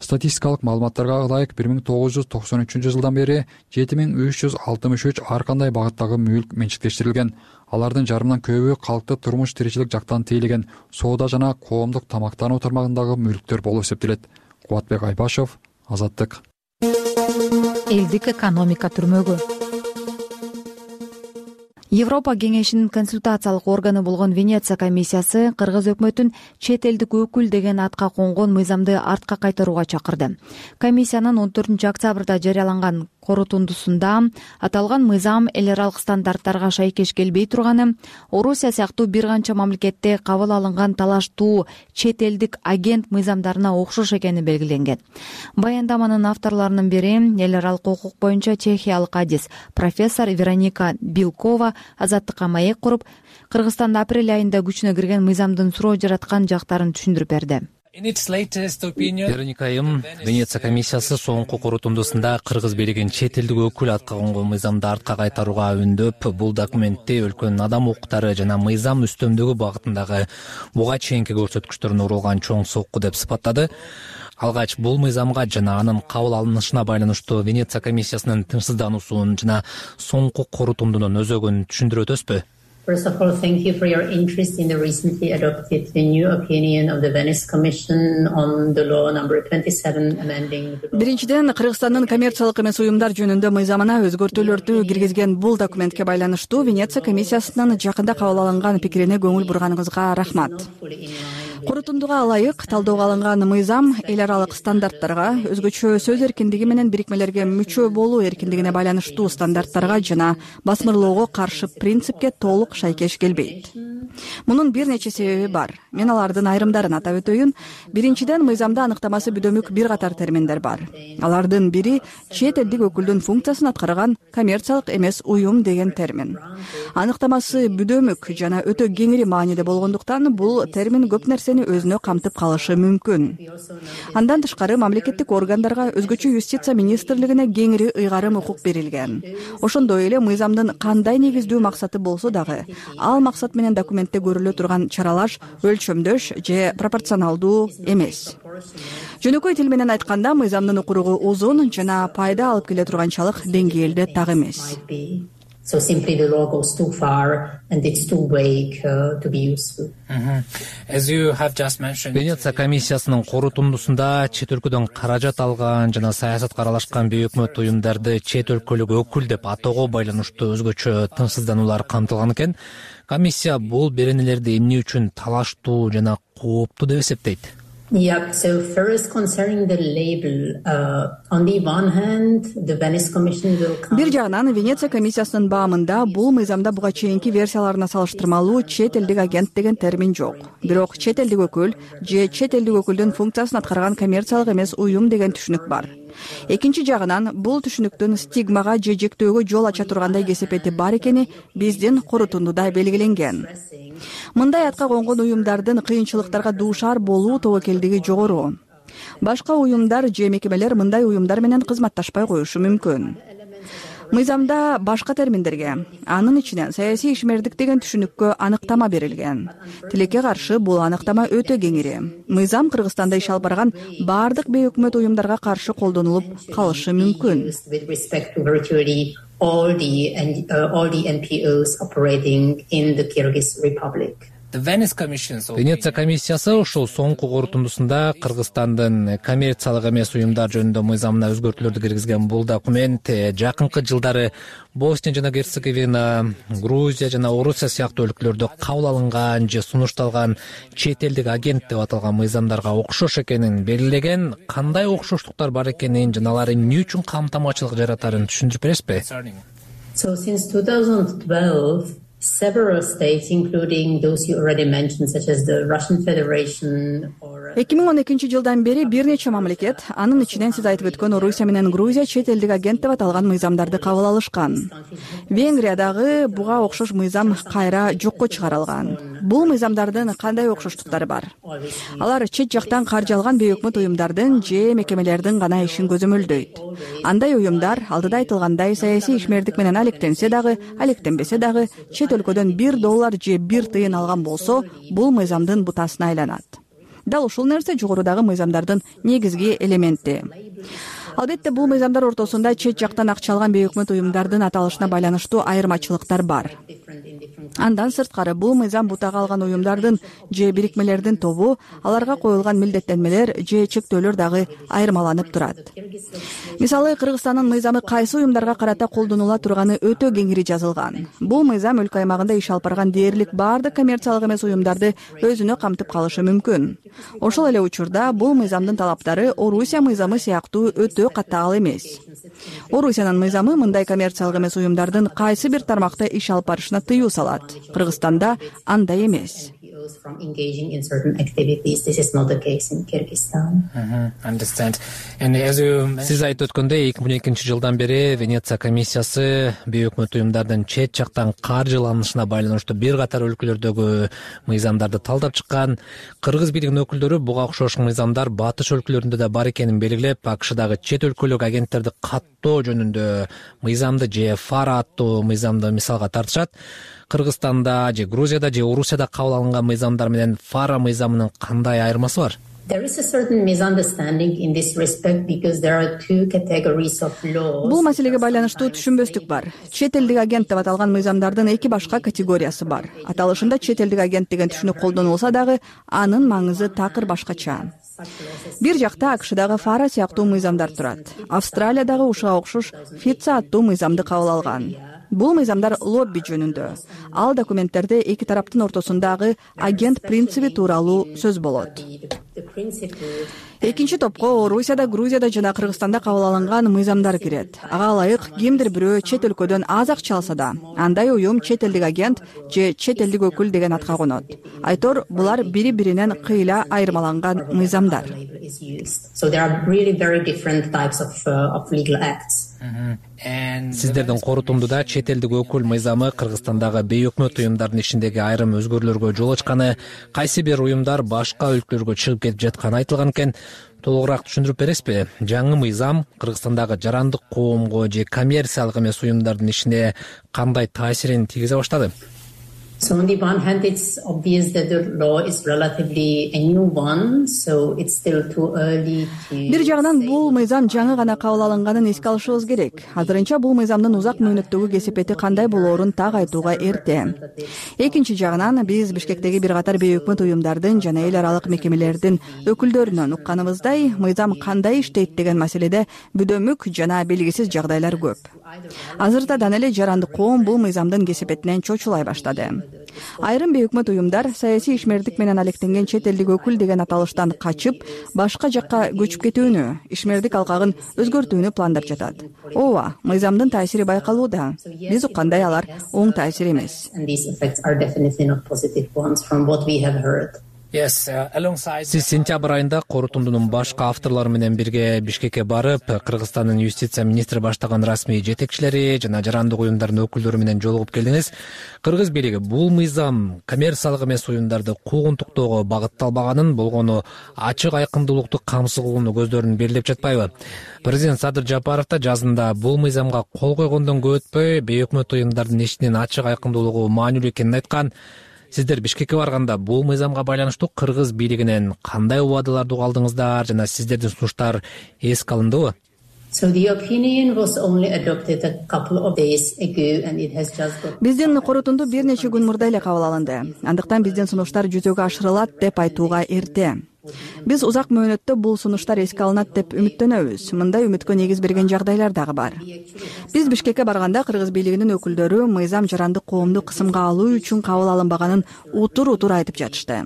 Статистикалык маалыматтарга ылайык 1993 бери 7363 ар кандай багыттагы мүлк менчиктештирилген. Алардын жарымынан көбү калкты турмуш тиричилик жактан тейлеген соода жана коомдук тамактануу тармагындагы мүлктөр болуп эсептелет. Кубатбек Айбашев, Азаттык. Элдик экономика түрмөгү. Европа кеңешинин консультациялык органы болгон Венеция комиссиясы кыргыз өкмөтүн чет элдик өкүл деген атка конгон мыйзамды артка кайтарууга чакырды. Комиссиянын 14 октябрда жарыяланган корутундусунда аталган мыйзам эл аралык стандарттарга шайкеш келбей турганы, Орусия сыяктуу бир канча мамлекетте кабыл алынган талаштуу чет элдик агент мыйзамдарына окшош экени белгиленген. Баяндаманын авторлорунун бири эл аралык укук боюнча чехиялык адис профессор Вероника Билкова Азаттыкка маек куруп, Кыргызстанда апрель айында күчүнө кирген мыйзамдын суроо жараткан жактарын түшүндүрүп берди. Вероника айым, Венеция комиссиясы соңку корутундусунда кыргыз бийлигин чет элдик өкүл атка конгон мыйзамды артка кайтарууга үндөп, бул документте өлкөнүн адам укуктары жана мыйзам үстөмдүгү багытындагы буга чейинки көрсөткүчтөрүнө урулган чоң сокку деп сыпаттады. Алгач бул мыйзамга жана анын кабыл алынышына байланыштуу Венеция комиссиясынын тынчсыздануусун жана соңку корутундунун өзөгүн түшүндүрүп өтөсүзбү? First of all, thank you for your interest in the recently adopted new opinion of the Venice Commission on the law number 27 amending the law. Биринчиден, Кыргызстандын коммерциялык эмес уюмдар жөнүндө мыйзамына өзгөртүүлөрдү киргизген бул документке байланыштуу Венеция комиссиясынын жакында кабыл алынган пикирине көңүл бурганыңызга рахмат. Корутундуга ылайык талоого алынган мыйзам эл аралык стандарттарга, өзгөчө сөз эркиндиги менен бирикмелерге мүчө болуу эркиндигине байланыштуу стандарттарга жана басмырлоого каршы принципке толук шайкеш келбейт. Мунун бир нече себеби бар. Мен алардын айрымдарын атап өтөйүн. Биринчиден, мыйзамда аныктамасы бүдөмүк бир катар терминдер бар. Алардын бири чет элдик өкүлдүн функциясын аткарган коммерциялык эмес уюм деген термин. Аныктамасы бүдөмүк жана өтө кеңири мааниде болгондуктан бул термин көп нерсени өзүнө камтып калышы мүмкүн. Андан тышкары мамлекеттик органдарга, өзгөчө юстиция министрлигине кеңири ыйгарым укук берилген. Ошондой эле мыйзамдын кандай негиздүү максаты болсо дагы, ал максат менен документте көрүлө турган чаралар өлчөмдөш же пропорционалдуу эмес. Жөнөкөй тил менен айтканда, мыйзамдын укуругу узун жана пайда алып келе турганчалык деңгээлде так эмес. So simply the law goes too far and it's too vague to be useful. As you have just mentioned, Венеция комиссиясынын корутундусунда чет өлкөдөн каражат алган жана саясатка аралашкан бейөкмөт уюмдарды чет өлкөлүк өкүл деп атоого байланыштуу өзгөчө тынчсыздануулар камтылган экен. Комиссия бул беренелерди эмне үчүн талаштуу жана кооптуу деп эсептейт? Yeah, so first concerning the label, on the one hand, the Venice Commission will come... Бир жагынан Венеция комиссиясынын баамында бул мыйзамда буга чейинки версияларына салыштырмалуу чет элдик агент деген термин жок. Бирок чет элдик өкүл же чет элдик өкүлдүн функциясын аткарган коммерциялык эмес уюм деген түшүнүк бар. Экинчи жагынан бул түшүнүктүн стигмага же жектөөгө жол ача тургандай кесепети бар экени биздин корутундуда белгиленген. Мындай атка конгон уюмдардын кыйынчылыктарга дуушар болуу тобокелдиги жогору. Башка уюмдар же мекемелер мындай уюмдар менен кызматташпай коюшу мүмкүн. Мыйзамда башка терминдерге, анын ичинен саясий ишмердик деген түшүнүккө аныктама берилген. Тилекке каршы бул аныктама өтө кеңири. Мыйзам Кыргызстанда иш алып барган бардык бейөкмөт уюмдарга каршы колдонулуп калышы мүмкүн. All the NPOs operating in the Kyrgyz Republic. Венеция комиссиясы ушул соңку корутундусунда Кыргызстандын коммерциялык эмес уюмдар жөнүндө мыйзамына өзгөртүүлөрдү киргизген бул документ жакынкы жылдары Босния жана Герцеговина, Грузия жана Орусия сыяктуу өлкөлөрдө кабыл алынган же сунушталган чет элдик агент деп аталган мыйзамдарга окшош экенин белгилеген. Кандай окшоштуктар бар экенин жана алар эмне үчүн камтамачылык жаратарын түшүндүрүп бересизби? So since 2012, several states, including those you already mentioned, such as the Russian Federation or 2012 бери бир нече мамлекет, анын ичинен сиз айтып өткөн Орусия менен Грузия чет элдик агент деп аталган мыйзамдарды кабыл алышкан. Венгриядагы буга окшош мыйзам кайра жокко чыгарылган. Бул мыйзамдардын кандай окшоштуктары бар? Алар чет жактан каржы алган бейөкмөт уюмдардын же мекемелердин гана ишин көзөмөлдөйт. Андай уюмдар алдыда айтылгандай саясий ишмердик менен алектенсе дагы, алектенбесе дагы чет өлкөдөн $1 же 1 тыйын алган болсо, бул мыйзамдын бутасына айланат. Дал ушул нерсе жогорудагы мыйзамдардын негизги элементи. Албетте бул мыйзамдар ортосунда чет жактан акча алган бейөкмөт уюмдардын аталышына байланыштуу айырмачылыктар бар. Андан сырткары бул мыйзам бутага алган уюмдардын же бирикмелердин тобу, аларга коюлган милдеттенмелер же чектөөлөр дагы айырмаланып турат. Мисалы, Кыргызстандын мыйзамы кайсы уюмдарга карата колдонула турганы өтө кеңири жазылган. Бул мыйзам өлкө аймагында иш алып барган дээрлик баардык коммерциялык эмес уюмдарды өзүнө камтып калышы мүмкүн. Ошол эле учурда бул мыйзамдын талаптары Орусия мыйзамы сыяктуу өтө катаал эмес. Орусиянын мыйзамы мындай коммерциялык эмес уюмдардын кайсы бир тармакта иш алып барышына тыюу салат. Кыргызстанда андай эмес. Сиз айтып өткөндөй 2012-жылдан бери Венеция комиссиясы бейөкмөт уюмдардын чет жактан каржыланышына байланыштуу бир катар өлкөлөрдөгү мыйзамдарды талдап чыккан. Кыргыз бийлигинин өкүлдөрү буга окшош мыйзамдар батыш өлкөлөрүндө да бар экенин белгилеп, АКШдагы чет өлкөлүк агенттерди каттоо жөнүндө мыйзамды же фара аттуу мыйзамды мисалга тартышат. Кыргызстанда же Грузияда же Орусияда кабыл алынган мыйзамдар менен фара мыйзамынын кандай айырмасы бар? Бул маселеге байланыштуу түшүнбөстүк бар. Чет элдик агент деп аталган мыйзамдардын эки башка категориясы бар. Аталышында чет элдик агент деген түшүнүк колдонулса дагы, анын маңызы такыр башкача. Бир жакта АКШдагы фара сыяктуу мыйзамдар турат. Австралия дагы ушуга окшош ФИЦА аттуу мыйзамды кабыл алган. Бул мыйзамдар лобби жөнүндө. Ал документтерде эки тараптын ортосундагы агент принциби тууралуу сөз болот. Экинчи топко Орусияда, Грузияда жана Кыргызстанда кабыл алынган мыйзамдар кирет. Ага ылайык кимдир бирөө чет өлкөдөн аз акча алса да, андай уюм чет элдик агент же чет элдик өкүл деген атка конот. Айтор, булар бири-биринен кыйла айырмаланган мыйзамдар. Сиздердин корутундуда чет элдик өкүл мыйзамы Кыргызстандагы бейөкмөт уюмдардын ишиндеги айрым өзгөрүүлөргө жол ачканы, кайсы бир уюмдар башка өлкөлөргө чыгып кетип жатканы айтылган экен. Толугураак түшүндүрүп бересизби? Жаңы мыйзам Кыргызстандагы жарандык коомго же коммерциялык эмес уюмдардын ишине кандай таасирин тийгизе баштады? So on the one hand, it's obvious that the law is relatively a new one, so it's still too early to... Бир жагынан бул мыйзам жаңы гана кабыл алынганын эске алышыбыз керек. Азырынча бул мыйзамдын узак мөөнөттөгү кесепети кандай болоорун так айтууга эрте. Экинчи жагынан биз Бишкектеги бир катар бейөкмөт уюмдардын жана эл аралык мекемелердин өкүлдөрүнөн укканыбыздай, мыйзам кандай иштейт деген маселеде бүдөмүк жана белгисиз жагдайлар көп. Азыртадан эле жарандык коом бул мыйзамдын кесепетинен чочулай баштады. Айрым бейөкмөт уюмдар саясий ишмердик менен алектенген чет элдик өкүл деген аталыштан качып, башка жакка көчүп кетүүнү, ишмердик алкагын өзгөртүүнү пландап жатат. Ооба, мыйзамдын таасири байкалууда. Биз уккандай алар оң таасир эмес. Сиз сентябрь айында корутундунун башка авторлору менен бирге Бишкекке барып, Кыргызстандын юстиция министри баштаган расмий жетекчилери жана жарандык уюмдардын өкүлдөрү менен жолугуп келдиңиз. Кыргыз бийлиги бул мыйзам коммерциялык эмес уюмдарды куугунтуктоого багытталбаганын, болгону ачык айкындуулукту камсыз кылууну көздөрүн белгилеп жатпайбы? Президент Садыр Жапаров да жазында бул мыйзамга кол койгондон көп өтпөй бейөкмөт уюмдардын ишинин ачык айкындуулугу маанилүү экенин айткан. Сиздер Бишкекке барганда бул мыйзамга байланыштуу Кыргыз бийлигинен кандай убадаларды уга алдыңыздар жана сиздердин сунуштар эске алындыбы? Биздин корутунду бир нече күн мурда эле кабыл алынды. Андыктан биздин сунуштар жүзөгө ашырылат деп айтууга эрте. Биз узак мөөнөттө бул сунуштар эске алынат деп үмүттөнөбүз. Мындай үмүткө негиз берген жагдайлар дагы бар. Биз Бишкекке барганда Кыргыз бийлигинин өкүлдөрү мыйзам жарандык коомду кысымга алуу үчүн кабыл алынбаганын утур-утур айтып жатышты.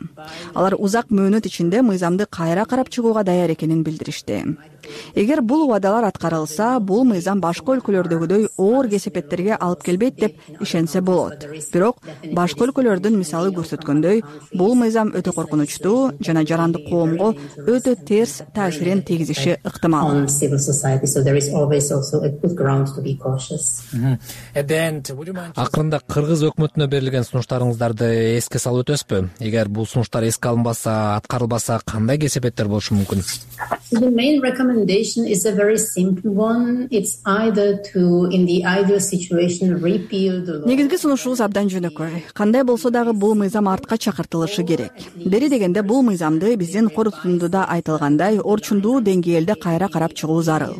Алар узак мөөнөт ичинде мыйзамды кайра карап чыгууга даяр экенин билдиришти. Эгер бул убадалар аткарылса, бул мыйзам башка өлкөлөрдөгүдөй оор кесепеттерге алып келбейт деп ишенсе болот. Бирок башка өлкөлөрдүн мисалы көрсөткөндөй, бул мыйзам өтө коркунучтуу жана жарандык коомго өтө терс таасирин тийгизиши ыктымал. Акырында Кыргыз өкмөтүнө берилген сунуштарыңыздарды эске салып өтөсүзбү? Эгер бул сунуштар эске алынбаса, аткарылбаса, кандай кесепеттер болушу мүмкүн? The main recommendation is a very simple one. It's either to, in the ideal situation, repeal the law. Негизги сунушубуз абдан жөнөкөй. Кандай болсо дагы бул мыйзам артка чакыртылышы керек. Бери дегенде бул мыйзамды биздин негизин корутундуда айтылгандай орчундуу деңгээлде кайра карап чыгуу зарыл.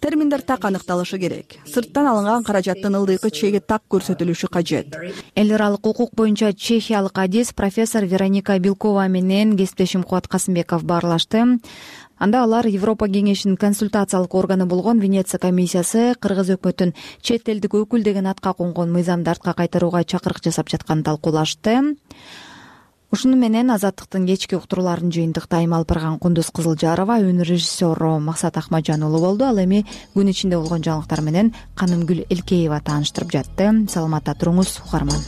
Терминдер так аныкталышы керек. Сырттан алынган каражаттын ылдыйкы чеги так көрсөтүлүшү кажет. Эл аралык укук боюнча чехиялык адис профессор Вероника Белкова менен кесиптешим Кубат Касымбеков баарлашты. Анда алар Европа кеңешинин консультациялык органы болгон Венеция комиссиясы Кыргыз өкмөтүн чет элдик өкүл деген атка конгон мыйзамды артка кайтарууга чакырык жасап жатканын талкуулашты. Ушуну менен Азаттыктын кечки уктурууларын жыйынтыкта Алпырган Кундуз Кызылжарова, өнөр режиссеру Максат Ахмаджан уулу болду. Ал эми күн ичинде болгон жаңылыктар менен Канымгүл Элкеева тааныштырып жатты. Саламатта туруңуз, угарман.